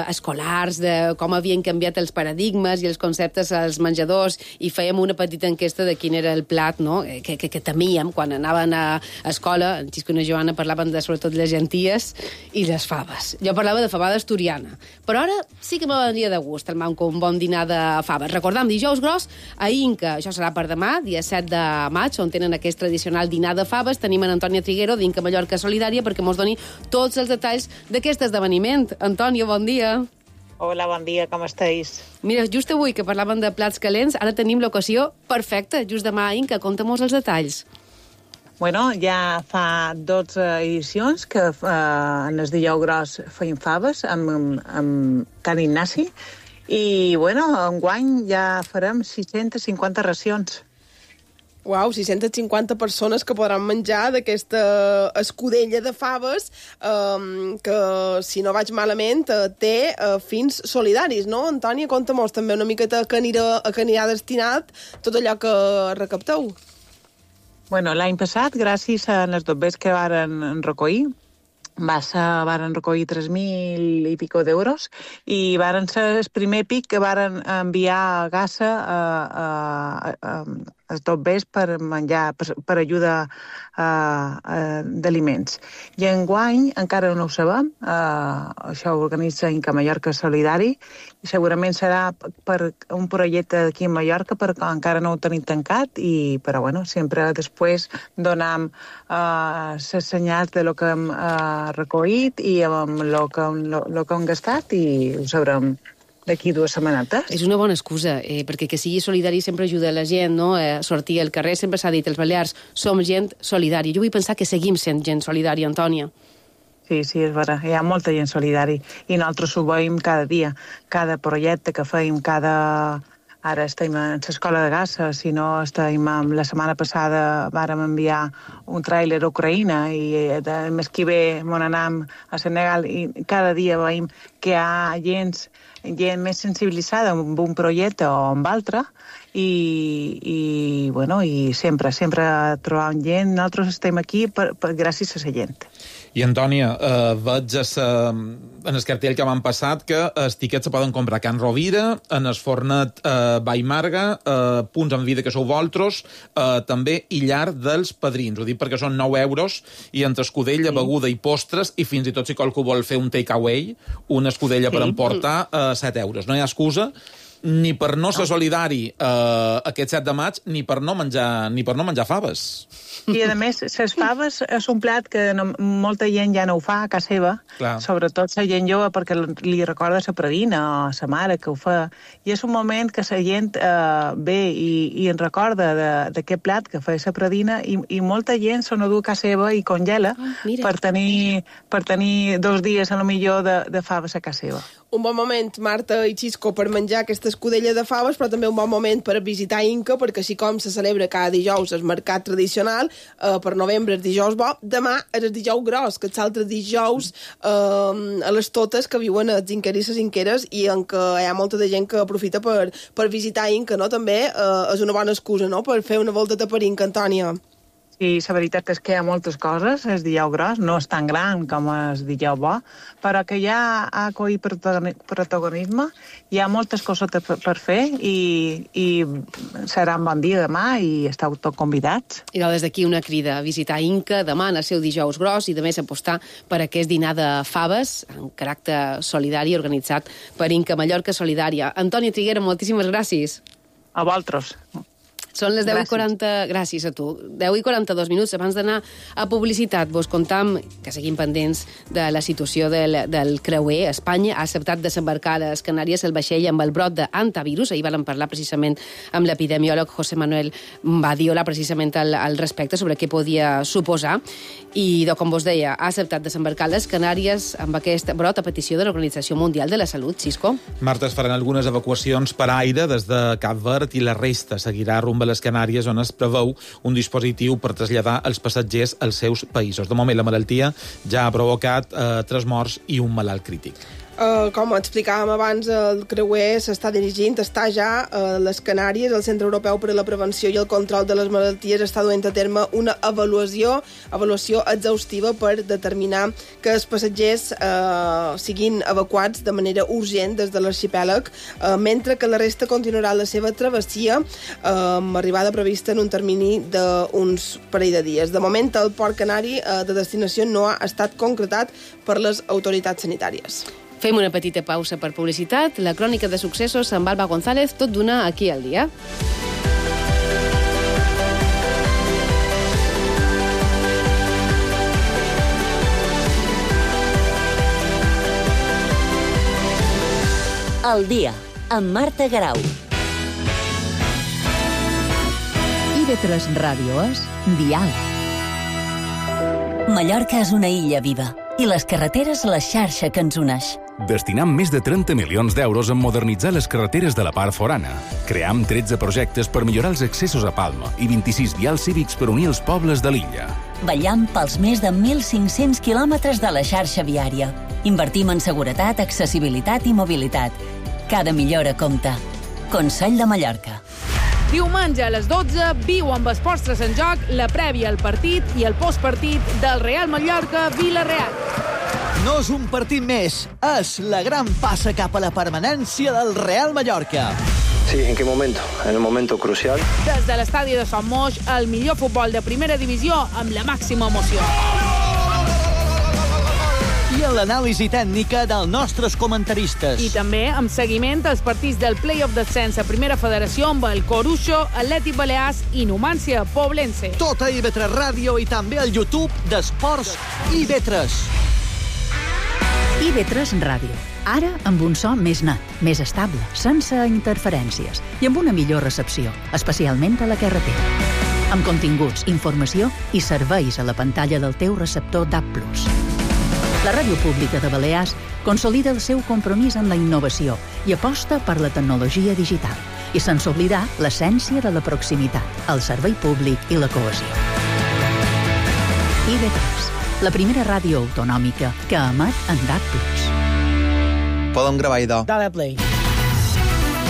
escolars, de com havien canviat els paradigmes i els conceptes als menjadors, i fèiem una petita enquesta de quin era el plat no, que temíem quan anaven a escola. En Xisco i la Joana parlaven de, sobretot, les llenties i les faves. Jo parlava de fabada asturiana. Però ara sí que me vendria de gust el manco un bon dinar de faves. Recordam, dijous gros a Inca. Això serà per demà, dia 7 de maig, on tenen aquest tradicional dinar de faves. Tenim en Antònia Triguero, d'Inca Mallorca Solidària, perquè mos doni tots els detalls d'aquest esdeveniment. Antònia, bon dia. Hola, bon dia, com esteu? Mira, just avui que parlaven de plats calents, ara tenim l'ocasió perfecta, just demà a Inca. Conta-mos els detalls. Bueno, ja fa 12 edicions que en el dijous gros feim faves amb Can Ignasi i, bueno, enguany ja farem 650 racions. Uau, 650 persones que podran menjar d'aquesta escudella de faves que, si no vaig malament, té fins solidaris, no? Antònia, conta-mos també una miqueta a què anirà destinat tot allò que recapteu. Bueno, l'any passat, gràcies a les dobbers que varen recollir, varen recollir 3.000 i pico d'euros i varen ser el primer pic que varen enviar a Gaza els dobbers per menjar, per ajuda d'aliments. I enguany encara no ho sabem, això ho organitza Inca Mallorca Solidari, i segurament serà per un projecte aquí a Mallorca, perquè encara no ho tenim tancat, però bueno, sempre després donam les senyals de lo que hem recollit i amb lo que hem gastat i ho sabrem d'aquí 2 setmanetes. És una bona excusa, perquè que sigui solidari sempre ajuda a la gent, no? A sortir al carrer. Sempre s'ha dit, els balears som gent solidària. Jo vull pensar que seguim sent gent solidària, Antònia. Sí, és vera. Hi ha molta gent solidària i nosaltres ho veiem cada dia. Cada projecte que feim, Ara estem a l'escola de Gaza, si no estem... La setmana passada vàrem enviar un tràiler a Ucraïna i el mes que ve mon anam a Senegal i cada dia veiem que hi ha gent més sensibilitzada amb un projecte o amb altre i sempre trobam gent. Nosaltres estem aquí gràcies a la gent. I, Antònia, veig en el cartell que m'han passat que els tiquets se poden comprar a Can Rovira, en el Fornet Vallmarga, Punts en Vida, que sou vosaltres, també i llar dels padrins. Ho dic perquè són 9 euros i entre escudella, beguda i postres, i fins i tot si qualcú vol fer un take-away, una escudella per emportar, 7 euros. No hi ha excusa ni per no ser solidari aquest 7 de maig, ni per no menjar faves. I, a més, les faves és un plat que molta gent ja no ho fa a casa seva, sobretot la gent jove, perquè li recorda la predina o la mare que ho fa. I és un moment que la gent ve i en recorda d'aquest plat que fa la predina i molta gent se n'ho du a casa seva i congela per tenir 2 dies, a lo millor, de faves a casa seva. Un bon moment, Marta i Xisco, per menjar aquesta escudella de faves, però també un bon moment per visitar Inca, perquè així com se celebra cada dijous el mercat tradicional, per novembre el dijous bo, demà és el dijous gros, que és l'altre dijous a les totes que viuen els inquers i les inqueres i en què hi ha molta de gent que aprofita per visitar Inca, no? També és una bona excusa, no?, per fer una volta per Inca, Antònia. Sí, la veritat és que hi ha moltes coses. El dijous gros no és tan gran com el dijous bo, però que ja ha coït protagonisme, hi ha moltes coses per fer i serà un bon dia demà i esteu tots convidats. I des d'aquí una crida a visitar Inca demà en el seu dijous gros i de més apostar per aquest dinar de faves en caràcter solidari organitzat per Inca Mallorca Solidària. Antònia Triguera, moltíssimes gràcies. A vosaltres. Són les 10:40... Gràcies a tu. 10:42 minuts abans d'anar a publicitat. Vos contam que seguim pendents de la situació del creuer. Espanya ha acceptat desembarcar a les Canàries el vaixell amb el brot d'antivirus. Ahir vam parlar precisament amb l'epidemiòleg José Manuel Badiola precisament al respecte sobre què podia suposar. I, com vos deia, ha acceptat desembarcar a les Canàries amb aquest brot a petició de l'Organització Mundial de la Salut. Xisco? Marta, es faran algunes evacuacions per aire des de Cap Verd i la resta seguirà rumb a les Canàries, on es preveu un dispositiu per traslladar els passatgers als seus països. De moment, la malaltia ja ha provocat 3 morts i un malalt crític. Com explicàvem abans, el creuer està ja a les Canàries. El Centre Europeu per a la Prevenció i el Control de les Malalties està duent a terme una avaluació exhaustiva per determinar que els passatgers siguin evacuats de manera urgent des de l'arxipèlag, mentre que la resta continuarà la seva travessia amb arribada prevista en un termini d'uns parell de dies. De moment, el port canari de destinació no ha estat concretat per les autoritats sanitàries. Fem una petita pausa per publicitat. La crònica de successos amb Alba González, tot d'una aquí al dia. El dia, amb Marta Garau. IB3 Ràdio és Dial. Mallorca és una illa viva i les carreteres la xarxa que ens uneix. Destinam més de 30 milions d'euros en modernitzar les carreteres de la part forana. Cream 13 projectes per millorar els accessos a Palma i 26 vials cívics per unir els pobles de l'illa. Vetllam pels més de 1.500 quilòmetres de la xarxa viària. Invertim en seguretat, accessibilitat i mobilitat. Cada millora compta. Consell de Mallorca. Diumenge a les 12, viu amb Esports en Joc la prèvia al partit i el postpartit del Real Mallorca-Villarreal. No és un partit més, és la gran passa cap a la permanència del Real Mallorca. Sí, ¿en qué momento? En el momento crucial. Des de l'estadi de Son Moix, el millor futbol de primera divisió amb la màxima emoció. I l'anàlisi tècnica dels nostres comentaristes. I també amb seguiment als partits del Play-off d'ascens a Primera Federació amb el Coruxo, Atlètic Balears i Numància Poblense. Tot a IB3 Ràdio i també al YouTube d'Esports IB3. IB3 Ràdio. Ara amb un so més net, més estable, sense interferències i amb una millor recepció, especialment a la carretera. Amb continguts, informació i serveis a la pantalla del teu receptor DAB+. La Ràdio Pública de Balears consolida el seu compromís amb la innovació i aposta per la tecnologia digital i sense oblidar l'essència de la proximitat, el servei públic i la cohesió. IB3, la primera ràdio autonòmica que emet en DAB+. Podem gravar, idò. Dale play.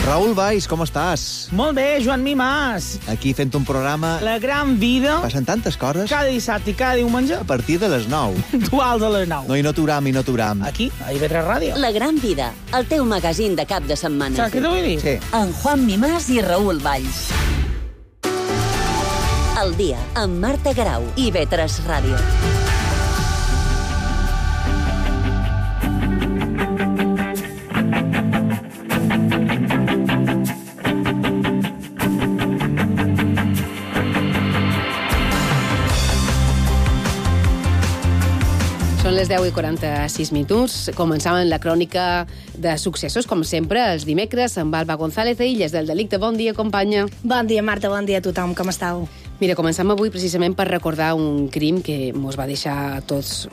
Raül Valls, com estàs? Molt bé, Joan Mimàs. Aquí fent un programa... La gran vida. Passen tantes coses. Cada dissabte i cada diumenge. A partir de les 9. Dual de les 9. No, i no t'uram. Aquí, a IB3 Ràdio. La gran vida, el teu magazín de cap de setmana. Saps què t'ho vull dir? Sí. En Juan Mimàs i Raül Valls. El dia, amb Marta Garau, IB3 Ràdio. Són les 10:46 minuts. Començàvem la crònica de successos, com sempre, els dimecres, amb Alba González de Illes del Delicte. Bon dia, companya. Bon dia, Marta, bon dia a tothom. Com estàu? Mira, començam avui precisament per recordar un crim que mos va deixar tots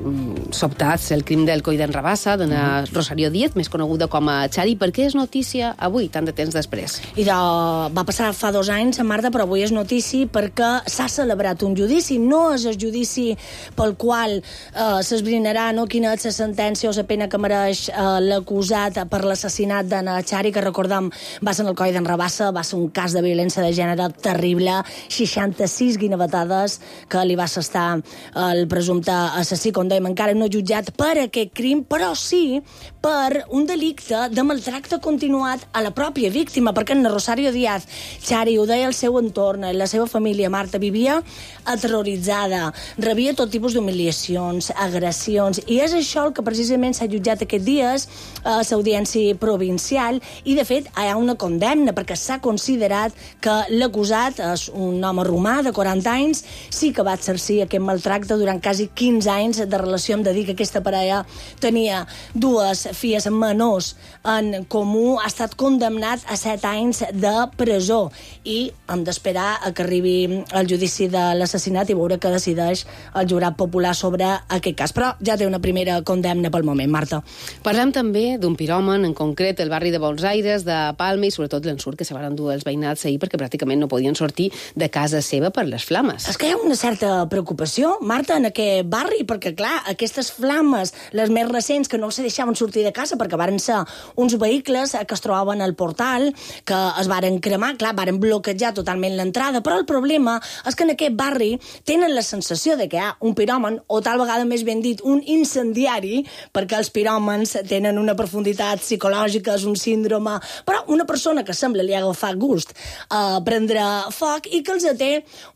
sobtats, el crim del Coi d'en Rabassa, d'una Rosario Díez, més coneguda com a Xari. Per què és notícia avui, tant de temps després? Va passar fa 2 anys, Marta, però avui és notícia perquè s'ha celebrat un judici. No és el judici pel qual s'esbrinarà quina és la sentència o la pena que mereix l'acusat per l'assassinat d'en Xari, que recordem va ser en el Coi d'en Rabassa, va ser un cas de violència de gènere terrible, 65 6 guinevetades que li va assestar el presumpte assassí, com dèiem, encara no jutjat per aquest crim, però sí per un delicte de maltracte continuat a la pròpia víctima, perquè en Rosario Díaz, Xari, ho deia el seu entorn, la seva família, Marta, vivia aterroritzada, rebia tot tipus d'humiliacions, agressions, i és això el que precisament s'ha jutjat aquests dies a l'audiència provincial, i de fet hi ha una condemna, perquè s'ha considerat que l'acusat és un home romà de 40 anys, sí que va exercir aquest maltracte durant quasi 15 anys de relació. Hem de dir que aquesta parella tenia 2 filles menors en comú, ha estat condemnat a 7 anys de presó i hem d'esperar a que arribi el judici de l'assassinat i veure què decideix el jurat popular sobre aquest cas. Però ja té una primera condemna pel moment, Marta. Parlem també d'un piròman, en concret el barri de Buenos Aires, de Palma, i sobretot l'ensurt que se van endur els veïnats ahir perquè pràcticament no podien sortir de casa seva per les flames. És que hi ha una certa preocupació, Marta, en aquest barri, perquè, clar, aquestes flames, les més recents, que no se deixaven sortir de casa perquè varen ser uns vehicles que es trobaven al portal, que es varen cremar, clar, varen bloquejar totalment l'entrada, però el problema és que en aquest barri tenen la sensació de que hi ha un piròman, o tal vegada més ben dit, un incendiari, perquè els piròmans tenen una profunditat psicològica, és un síndrome, però una persona que sembla li ha agafat gust a prendre foc i que els té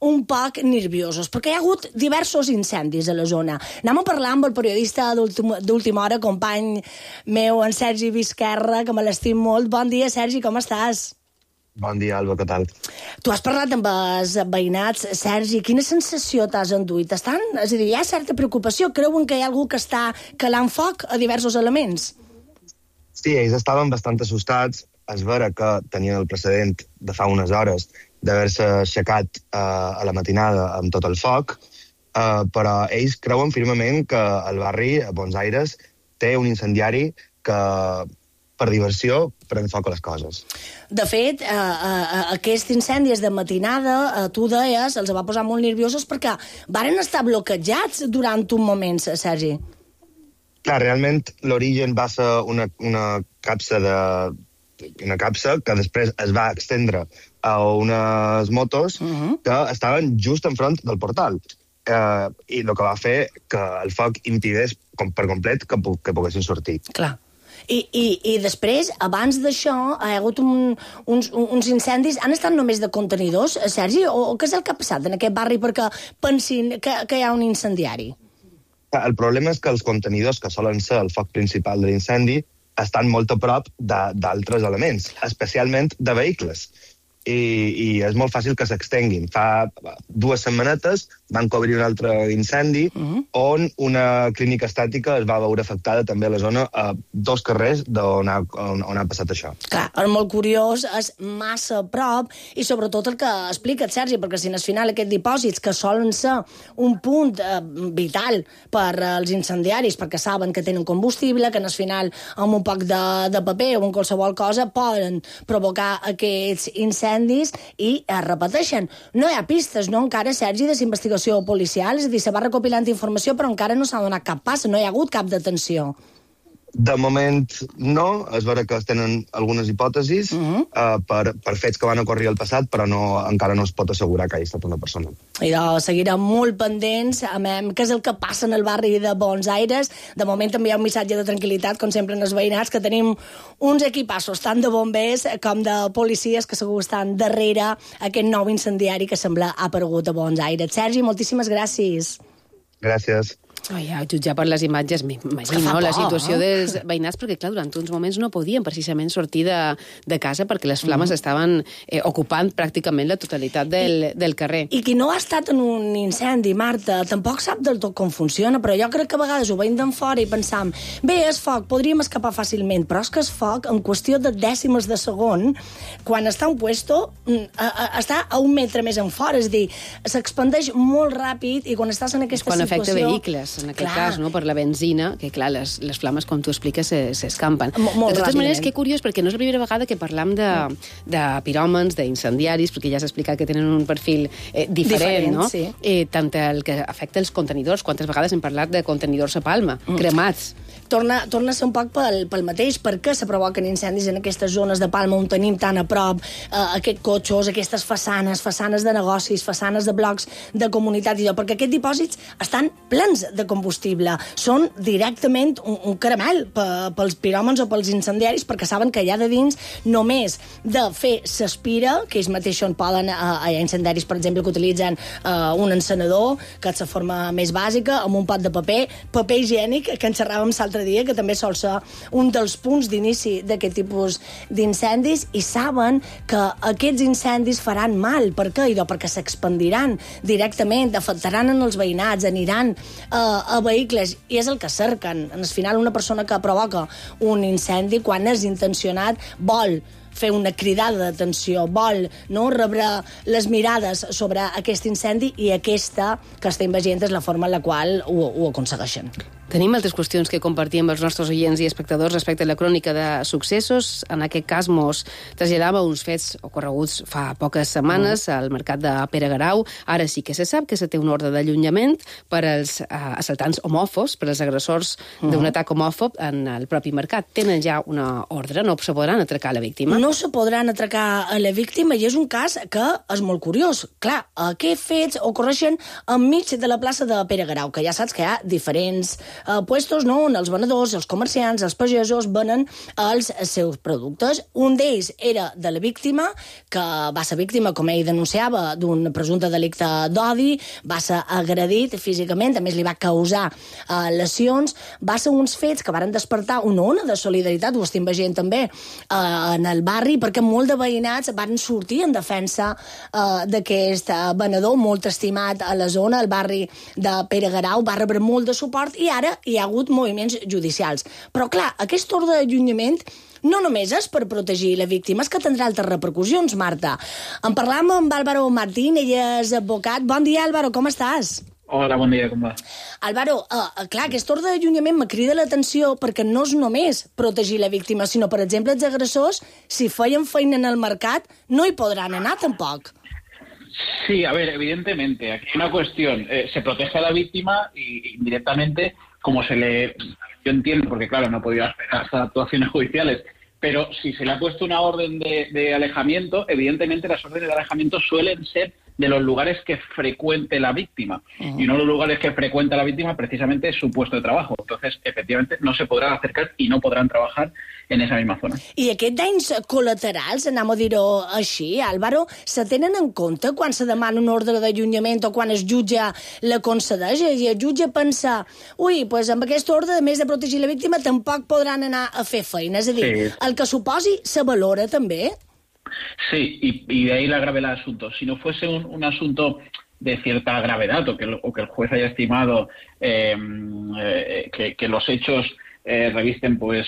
un poc nerviosos, perquè hi ha hagut diversos incendis a la zona. Anem a parlar amb el periodista d'última hora, company meu, en Sergi Vizquerra, que me l'estim molt. Bon dia, Sergi, com estàs? Bon dia, Alba, què tal? Tu has parlat amb els veïnats, Sergi, quina sensació t'has enduit? És a dir, hi ha certa preocupació? Creuen que hi ha algú que està calant foc a diversos elements? Sí, ells estaven bastant assustats. És vera que tenien el precedent de fa unes hores d'haver-se aixecat a la matinada amb tot el foc, però ells creuen firmament que el barri, a Buenos Aires, té un incendiari que, per diversió, pren foc a les coses. De fet, aquests incendis de matinada, tu deies, els va posar molt nerviosos perquè varen estar bloquejats durant un moment, Sergi. Clar, realment l'origen va ser una capsa que després es va extendre a unes motos que estaven just enfront del portal. I el que va fer que el foc impedís per complet que poguessin sortir. Clar. I després, abans d'això, hi ha hagut uns incendis. Han estat només de contenidors, Sergi? O què és el que ha passat en aquest barri perquè pensin que hi ha un incendiari? El problema és que els contenidors, que solen ser el foc principal de l'incendi, estan molt a prop d'altres elements, especialment de vehicles. I és molt fàcil que s'extenguin. Fa 2 setmanetes van cobrir un altre incendi on una clínica estàtica es va veure afectada també a la zona, a 2 carrers on ha passat això. Clar, és molt curiós, és massa a prop, i sobretot el que explica't, Sergi, perquè si al final aquests dipòsits, que solen ser un punt vital per als incendiaris, perquè saben que tenen combustible, que al final amb un poc de paper o amb qualsevol cosa poden provocar aquests incendis, i es repeteixen. No hi ha pistes, no, encara, Sergi, de investigació policial? És a dir, se va recopilant informació, però encara no s'ha donat cap pas, no hi ha hagut cap detenció. De moment, no. És vera que es tenen algunes hipòtesis per fets que van ocórrer al passat, però encara no es pot assegurar que hi ha estat una persona. I seguirem molt pendents amb què és el que passa en el barri de Buenos Aires. De moment també hi ha un missatge de tranquil·litat, com sempre en els veïnats, que tenim uns equipassos tant de bombers com de policies que segur estan darrere aquest nou incendiari que sembla ha aparegut a Buenos Aires. Sergi, moltíssimes gràcies. Gràcies. Ja, jutjar per les imatges, m'imagino, la situació dels veïnats, perquè, clar, durant uns moments no podien precisament sortir de casa perquè les flames estaven ocupant pràcticament la totalitat del carrer. I qui no ha estat en un incendi, Marta, tampoc sap del tot com funciona, però jo crec que a vegades ho veiem d'en fora i pensam, bé, és foc, podríem escapar fàcilment, però és que és foc en qüestió de dècimes de segon, quan està un puesto, està a 1 metre més en fora, és a dir, s'expandeix molt ràpid i quan estàs en aquesta situació... Quan afecta vehicles, en aquest cas, no? Per la benzina, que clar, les flames, com tu expliques, s'escampen. De totes maneres, que curiós, perquè no és la primera vegada que parlam de piròmans, d'incendiaris, perquè ja s'ha explicat que tenen un perfil diferent, no? Sí. Tant el que afecta els contenidors, quantes vegades hem parlat de contenidors a Palma, cremats. torna a ser un poc pel mateix. Per què se provoquen incendis en aquestes zones de Palma on tenim tan a prop aquests cotxos, aquestes façanes de negocis, façanes de blocs de comunitat i allò? Perquè aquests dipòsits estan plens de combustible. Són directament un caramel pels piròmens o pels incendiaris, perquè saben que allà de dins només de fer s'aspira, que ells mateixos poden, hi ha incendiaris, per exemple, que utilitzen un encenedor, que és la forma més bàsica, amb un pot de paper higiènic, que en xerràvem l'altre dia, que també sol ser un dels punts d'inici d'aquest tipus d'incendis, i saben que aquests incendis faran mal. Per què? Perquè s'expandiran directament, afectaran en els veïnats, aniran a vehicles, i és el que cerquen. Al final, una persona que provoca un incendi, quan és intencionat, vol fer una cridada d'atenció, vol rebre les mirades sobre aquest incendi, i aquesta que estem veient és la forma en la qual ho aconsegueixen. Tenim altres qüestions que compartim amb els nostres oients i espectadors respecte a la crònica de successos. En aquest cas, mos traslladava uns fets ocorreguts fa poques setmanes al mercat de Pere Garau. Ara sí que se sap que se té un ordre d'allunyament per als assaltants homòfobs, per als agressors d'un atac homòfob en el propi mercat. Tenen ja una ordre, no se podran atracar a la víctima? No se podran atracar a la víctima, i és un cas que és molt curiós. Clar, aquests fets ocorreixen enmig de la plaça de Pere Garau, que ja saps que hi ha diferents puestos, on els venedors, els comerciants, els pagesos venen els seus productes. Un d'ells era de la víctima, que va ser víctima, com ell denunciava, d'un presumpte delicte d'odi, va ser agredit físicament, a més li va causar lesions. Va ser uns fets que varen despertar una ona de solidaritat, ho estem veient també en el barri, perquè molt de veïnats van sortir en defensa d'aquest venedor, molt estimat a la zona. El barri de Pere Garau va rebre molt de suport, i ara hi ha hagut moviments judicials. Però, clar, aquest ordre d'allunyament no només és per protegir la víctima, és que tindrà altres repercussions, Marta. En parlàvem amb Álvaro Martín, ell és advocat. Bon dia, Álvaro, com estàs? Hola, bon dia, com va? Álvaro, clar, aquest ordre d'allunyament me crida l'atenció perquè no és només protegir la víctima, sinó, per exemple, els agressors, si feien feina en el mercat, no hi podran anar tampoc. Sí, a ver, evidentemente, aquí hay una cuestión. Se protege a la víctima y indirectamente, como se le... Yo entiendo, porque claro, no he podido hacer hasta actuaciones judiciales, pero si se le ha puesto una orden de alejamiento, evidentemente las órdenes de alejamiento suelen ser de los lugares que frecuente la víctima. Y uno de los lugares que frecuenta la víctima precisamente es su puesto de trabajo. Entonces, efectivamente, no se podrán acercar y no podrán trabajar en esa misma zona. I aquests danys col·laterals, anem a dir-ho així, Álvaro, se tenen en compte quan se demana un ordre d'allunyament o quan el jutge la concedeix? I el jutge pensa, doncs amb aquest ordre, a més de protegir la víctima, tampoc podran anar a fer feina. És a dir, el que suposi se valora també? Sí, y de ahí la gravedad del asunto. Si no fuese un asunto de cierta gravedad o que el juez haya estimado que los hechos revisten, pues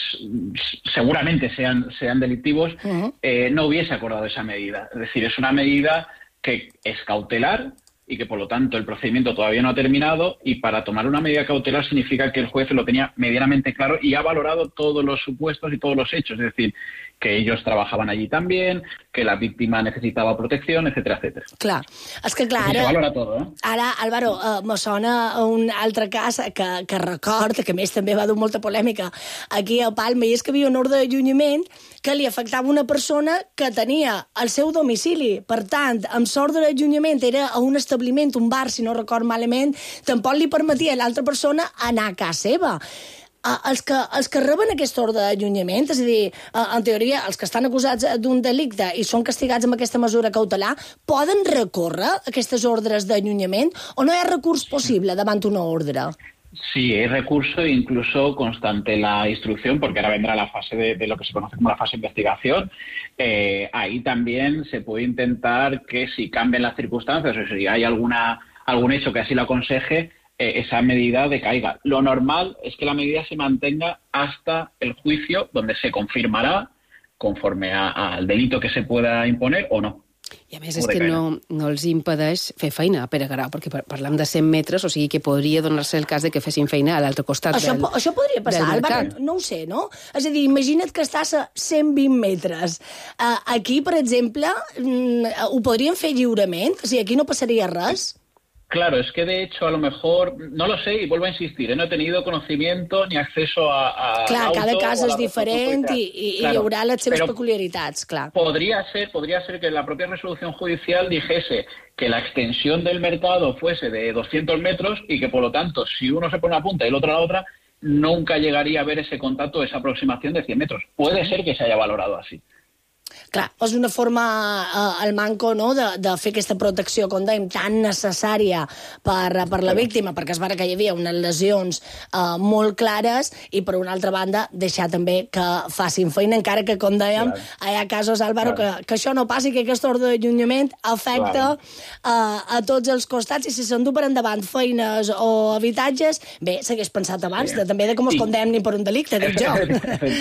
seguramente sean delictivos, no hubiese acordado esa medida. Es decir, es una medida que es cautelar y que por lo tanto el procedimiento todavía no ha terminado, y para tomar una medida cautelar significa que el juez lo tenía medianamente claro y ha valorado todos los supuestos y todos los hechos, es decir, que ellos trabajaban allí también, que la víctima necesitava protecció, etcètera, etcètera. Clar, és que clar, ara... Se valora tot, Ara, Álvaro, me sona un altre cas que record, que a més també va dur molta polèmica aquí a Palma, i és que hi havia un ordre d'allunyament que li afectava una persona que tenia el seu domicili. Per tant, amb l'ordre d'allunyament era a un establiment, un bar, si no record malament, tampoc li permetia a l'altra persona anar a casa seva. Els que reben aquest ordre d'allunyament, és a dir, en teoria, els que estan acusats d'un delicte i són castigats amb aquesta mesura cautelar, poden recórrer aquestes ordres d'allunyament o no hi ha recurs possible davant una ordre? Sí, hay recurso e incluso constante la instrucción, porque ahora vendrá la fase de lo que se conoce como la fase de investigación. Ahí también se puede intentar que si cambian las circunstancias o si hay algún hecho que así lo aconseje, esa medida decaiga. Lo normal es que la medida se mantenga hasta el juicio, donde se confirmará conforme al delito que se pueda imponer o no. I a més és que no els impedeix fer feina a Pere Garau, perquè parlam de 100 metres, o sigui que podria donar-se el cas de que fessin feina a l'altre costat del mercat. Això podria passar, Álvaro, no ho sé, no? És a dir, imagina't que estàs a 120 metres. Aquí, per exemple, ho podrien fer lliurement? O sigui, aquí no passaria res? Claro, es que de hecho a lo mejor, no lo sé y vuelvo a insistir, no he tenido conocimiento ni acceso a Clar, auto, cada cas o a és la diferent resolución i judicial. hi haurà les seves Però peculiaritats, clar. podría ser que la propia resolución judicial dijese que la extensión del mercado fuese de 200 metros y que, por lo tanto, si uno se pone a una punta y el otro a la otra, nunca llegaría a ver ese contacto, esa aproximación de 100 metros. Puede ser que se haya valorado así. Clar, és una forma, el manco, no?, de fer aquesta protecció, com dèiem, tan necessària per la víctima, perquè es va que hi havia unes lesions molt clares i, per una altra banda, deixar també que facin feina, encara que, com dèiem, hi ha casos, Álvaro, que això no passi, que aquest ordre d'allunyament afecta a tots els costats, i si s'endú per endavant feines o habitatges, bé, s'hagués pensat abans, també de com es condemni per un delicte, dic jo.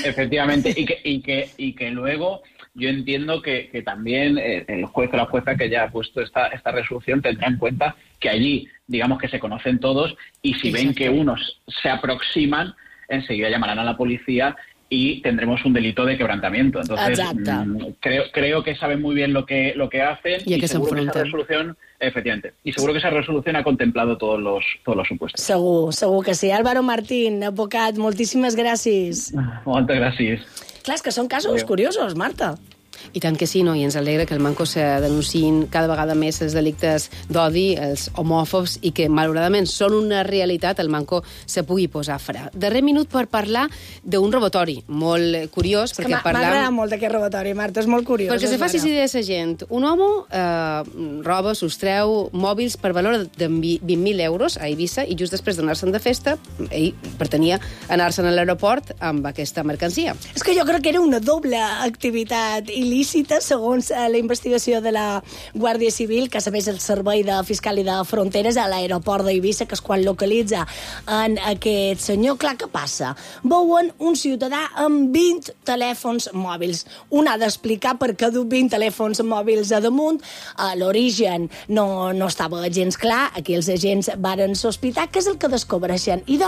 Efectivamente, y que luego... Yo entiendo que también el juez o la jueza que ya ha puesto esta resolución tendrá en cuenta que allí, digamos que se conocen todos, y si ven que unos se aproximan, enseguida llamarán a la policía y tendremos un delito de quebrantamiento. Entonces, creo que saben muy bien lo que hacen y seguro que esa resolución, efectivamente, y seguro que esa resolución ha contemplado todos los supuestos. Segur que sí. Álvaro Martín, advocat, moltíssimes gràcies. Moltes gràcies. Clar, és que són casos curiosos, Marta. I tant que sí, no? I ens alegra que el Manco se denunciïn cada vegada més els delictes d'odi, els homòfobs, i que, malauradament, són una realitat, el Manco se pugui posar fre. Darrer minut per parlar d'un robatori molt curiós. És que m'agrada molt aquest robatori, Marta, és molt curiós. Perquè se faci idea de la gent. Un home roba, sostreu mòbils per valor de 20.000 euros a Eivissa i just després d'anar-se'n de festa, ell pretenia anar-se'n a l'aeroport amb aquesta mercancia. És que jo crec que era una doble activitat il·lícita, segons la investigació de la Guàrdia Civil, que sabés el Servei de Fiscal i de Fronteres a l'aeroport d'Eivissa, que és quan localitza en aquest senyor. Clar, què passa? Veuen un ciutadà amb 20 telèfons mòbils. Un ha d'explicar per què du 20 telèfons mòbils a damunt. L'origen no estava gens clar. Aquí els agents varen sospitar. Què és el que descobreixen? I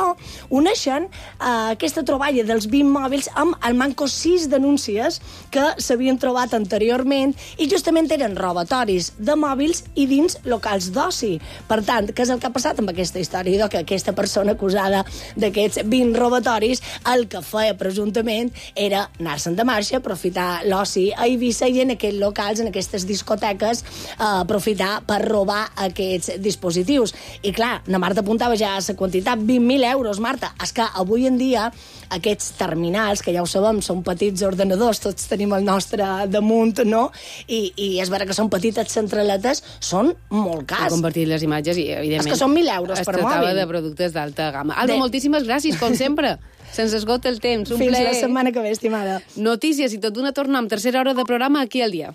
uneixen aquesta troballa dels 20 mòbils amb el manco 6 denúncies que s'havien trobat anteriorment i justament eren robatoris de mòbils i dins locals d'oci. Per tant, què és el que ha passat amb aquesta història? Que aquesta persona acusada d'aquests 20 robatoris el que feia presumptament era anar-se'n de marxa, aprofitar l'oci a Eivissa i en aquests locals, en aquestes discoteques, aprofitar per robar aquests dispositius. I clar, na Marta apuntava ja la quantitat, 20.000 euros, Marta. És que avui en dia aquests terminals, que ja ho sabem, són petits ordenadors, tots tenim el nostre damunt, no? I és vera que són petites centraletes, són molt cars. He compartit les imatges i, evidentment... És que són 1.000 euros per mòbil. Es tractava de productes d'alta gamma. Alba, moltíssimes gràcies, com sempre. Se'ns esgota el temps. Un Fins plaer. la setmana que ve, estimada. Notícies i tot d'una torna amb tercera hora de programa aquí al dia.